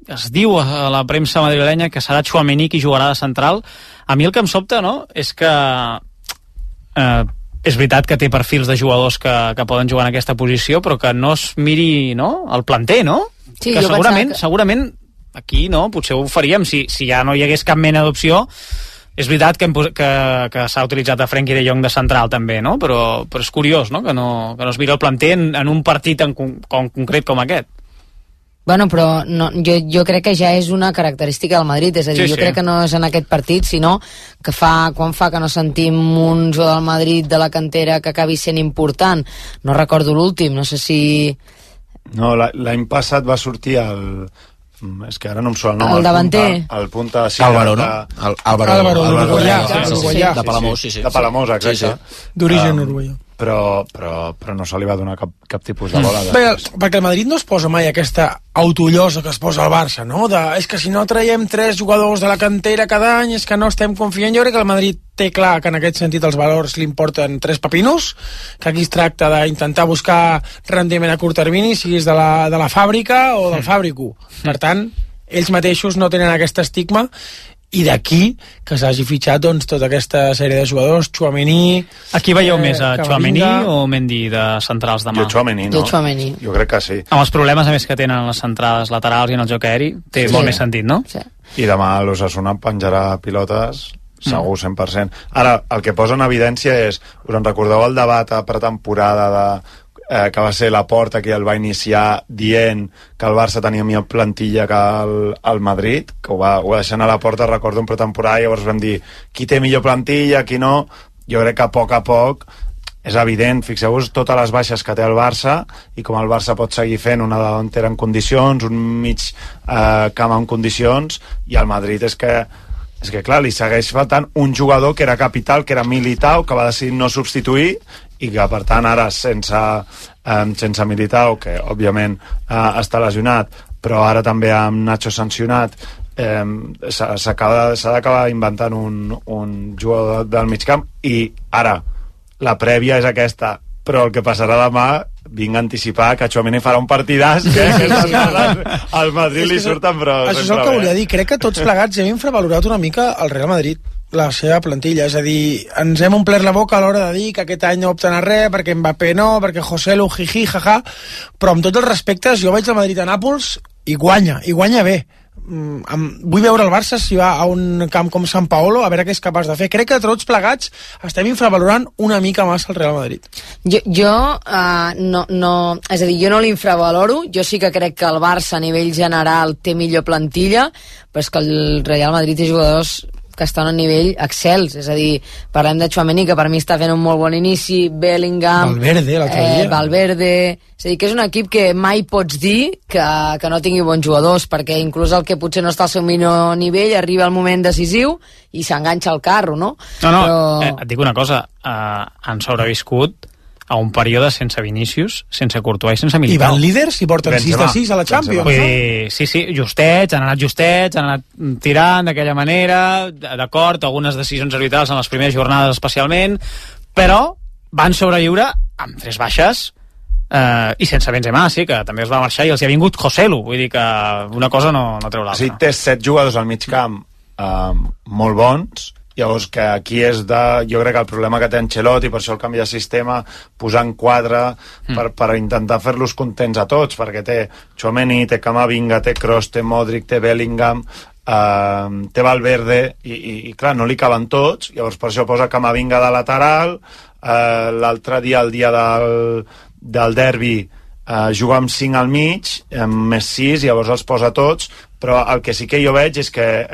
es diu a la premsa madrilenya que serà Tchouaméni qui jugarà de central. A mi el que em sobta, no?, és que és veritat que té perfils de jugadors que poden jugar en aquesta posició, però que no es miri, no?, el planter, no? Sí, que segurament aquí, no?, potser ho faríem si ja no hi hagués cap mena d'opció. És veritat que s'ha utilitzat a Frenkie de Jong de central també, no?, però és curiós, no?, que no es miri el planter en un partit concret com aquest. Bueno, però no, jo crec que ja és una característica del Madrid, és a dir, jo crec que no és en aquest partit, sinó que quan fa que no sentim un jugador del Madrid de la cantera que acabi sent important. No recordo l'últim, no sé si... No, l'any passat va sortir és que ara no em surt el nom. El davanter. El punta... Álvaro, no? Álvaro, de Palamós, sí. De Palamós, exacte. D'origen uruguaià. Però no se li va donar cap tipus de bola. Bé, perquè el Madrid no es posa mai aquesta autollosa que es posa al Barça, no? És que si no traiem 3 jugadors de la cantera cada any és que no estem confiant. Jo crec que el Madrid té clar que en aquest sentit els valors li importen 3 pepinos, que aquí es tracta d'intentar buscar rendiment a curt termini, siguis de la fàbrica o del fàbrico. Per tant, ells mateixos no tenen aquest estigma, i d'aquí que s'hagi fitxat doncs, tota aquesta sèrie de jugadors, Tchouaméni... Aquí veieu més a Tchouaméni o Mendy de centrals demà? Jo Tchouaméni, no? Jo crec que sí. Amb els problemes a més que tenen les centrades laterals i en el joc aeri, té molt més sentit, no? Sí. I demà l'Osasuna penjarà pilotes segur 100%. Ara, el que posa en evidència és, us en recordeu el debat a pretemporada que va ser Laporta qui el va iniciar dient que el Barça tenia millor plantilla que el Madrid, que ho va deixar a la porta, recordo, en pretemporada, i llavors vam dir qui té millor plantilla, qui no. Jo crec que a poc és evident, fixeu-vos totes les baixes que té el Barça i com el Barça pot seguir fent una delantera en condicions, un mig camp en condicions, i el Madrid és que clar, li segueix faltant un jugador que era capital, que era Militao, que va decidir no substituir, i que per tant ara sense Militao, que òbviament està lesionat, però ara també amb Nacho sancionat, s'ha d'acabar inventant un jugador del mig camp. I ara la prèvia és aquesta, però el que passarà demà, vinc a anticipar que Tchouaméni farà un partidàs, que al Madrid li surten, però això és el que volia dir. Crec que tots plegats hem infravalorat una mica el Real Madrid, la seva plantilla, és a dir, ens hem omplert la boca a l'hora de dir que aquest any no opten a res, perquè Mbappé no, perquè Joselu, jiji, jaja, però amb tots els respectes, jo vaig al Madrid a Nàpols i guanya bé. Vull veure el Barça si va a un camp com Sant Paolo a veure què és capaç de fer. Crec que tots plegats estem infravalorant una mica massa el Real Madrid. Jo no, és a dir, jo no l'infravaloro. Jo sí que crec que el Barça a nivell general té millor plantilla, però és que el Real Madrid té jugadors que estan a nivell excels, és a dir, parlem de Tchouaméni, que per mi està fent un molt bon inici, Bellingham, Valverde, és a dir, que és un equip que mai pots dir que no tingui bons jugadors, perquè inclús el que potser no està al seu millor nivell arriba al moment decisiu i s'enganxa al carro, no? Però... et dic una cosa, han sobreviscut a un període sense Vinícius, sense Courtois i sense Militao. I van líders i porten 6-6 a la Champions. Sí, justets, han anat tirant d'aquella manera, d'acord, algunes decisions arbitrals en les primeres jornades especialment, però van sobreviure amb 3 baixes i sense Benzema, sí, que també es va marxar i els hi ha vingut Joselu, vull dir que una cosa no treu l'altra. Sí, té 7 jugadors al mig camp molt bons. Llavors que aquí és jo crec que el problema que té Ancelotti, per això el canvi de sistema, posant 4 per intentar fer-los contents a tots, perquè té Tchouaméni, té Camavinga, té Kroos, té Modric, té Bellingham, té Valverde, i clar, no li caben tots, llavors per això posa Camavinga de lateral, l'altre dia, el dia del derbi, juga amb 5 al mig, més 6, llavors els posa tots, però el que sí que jo veig és que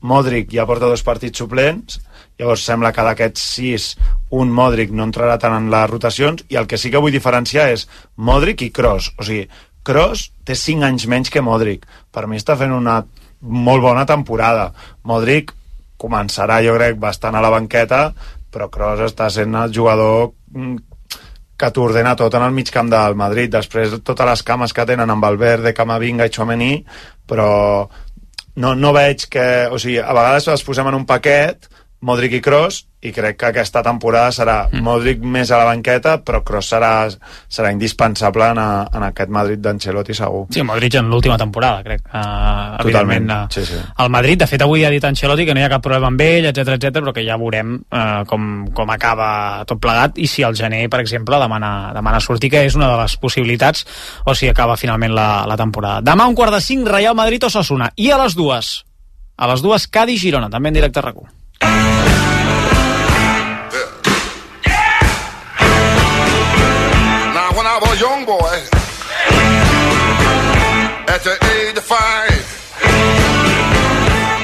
Modric ja porta 2 partits suplents, llavors sembla que d'aquests 6 un Modric no entrarà tant en les rotacions, i el que sí que vull diferenciar és Modric i Kroos. O sigui, Kroos té 5 anys menys que Modric, per mi està fent una molt bona temporada. Modric començarà, jo crec, bastant a la banqueta, però Kroos està sent el jugador que t'ordena tot en el mig camp del Madrid. Després totes les cames que tenen amb Valverde, Camavinga i Tchouaméni, però no veig que... O sigui, a vegades els posem en un paquet, Modric i Kroos, i crec que aquesta temporada serà Modric més a la banqueta, però Kroos serà indispensable en aquest Madrid d'Ancelotti, segur. Sí, Modric en l'última temporada, crec. Totalment, sí. El Madrid, de fet, avui ha dit Ancelotti que no hi ha cap problema amb ell, etc, però que ja veurem com acaba tot plegat, i si al gener, per exemple, demana sortir, que és una de les possibilitats, o si acaba finalment la temporada. Demà 4:45, Real Madrid o Osasuna, i a les 2 Cádiz-Girona, també en directe a RAC1. When I was a young boy, at the age of 5,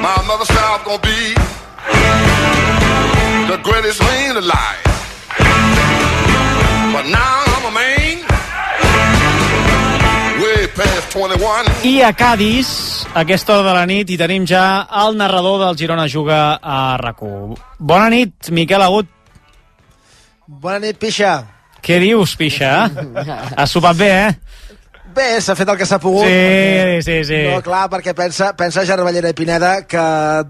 my mother said I was gonna be the greatest man alive. But now I'm a man, way past 21. I a Cádiz, a aquesta hora de la nit, hi tenim ja el narrador del Girona Juga a RAC1. Bona nit, Miquel Agut. Bona nit, Pixa. Què dius, Pixa? Has sopat bé, Bé, s'ha fet el que s'ha pogut. Sí. No, clar, perquè pensa Gervallera i Pineda que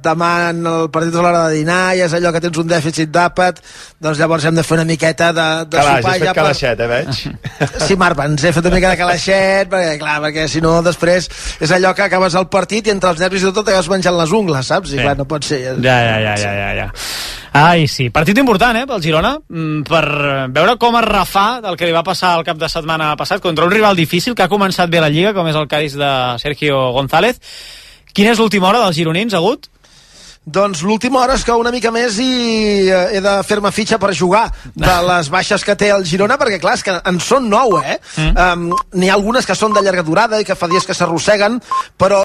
demà el partit és a l'hora de dinar i és allò que tens un dèficit d'àpat, doncs llavors hem de fer una miqueta de sopar. Has fet calaixet, veig? Sí, Marc, ens he fet una mica de calaixet, perquè si no després és allò que acabes el partit i entre els nervis i tot acabes menjant les ungles, saps? I clar, no pot ser. Ja. Ai, sí. Partit important, pel Girona, per veure com es refà del que li va passar el cap de setmana passat contra un rival difícil que ha començat bé la Lliga, com és el Cádiz de Sergio González. Quina és l'última hora dels gironins, Agut? Doncs l'última hora és que una mica més i he de fer-me fitxa per jugar de les baixes que té el Girona, perquè clar, és que en són 9, N'hi ha algunes que són de llarga durada i que fa dies que s'arrosseguen, però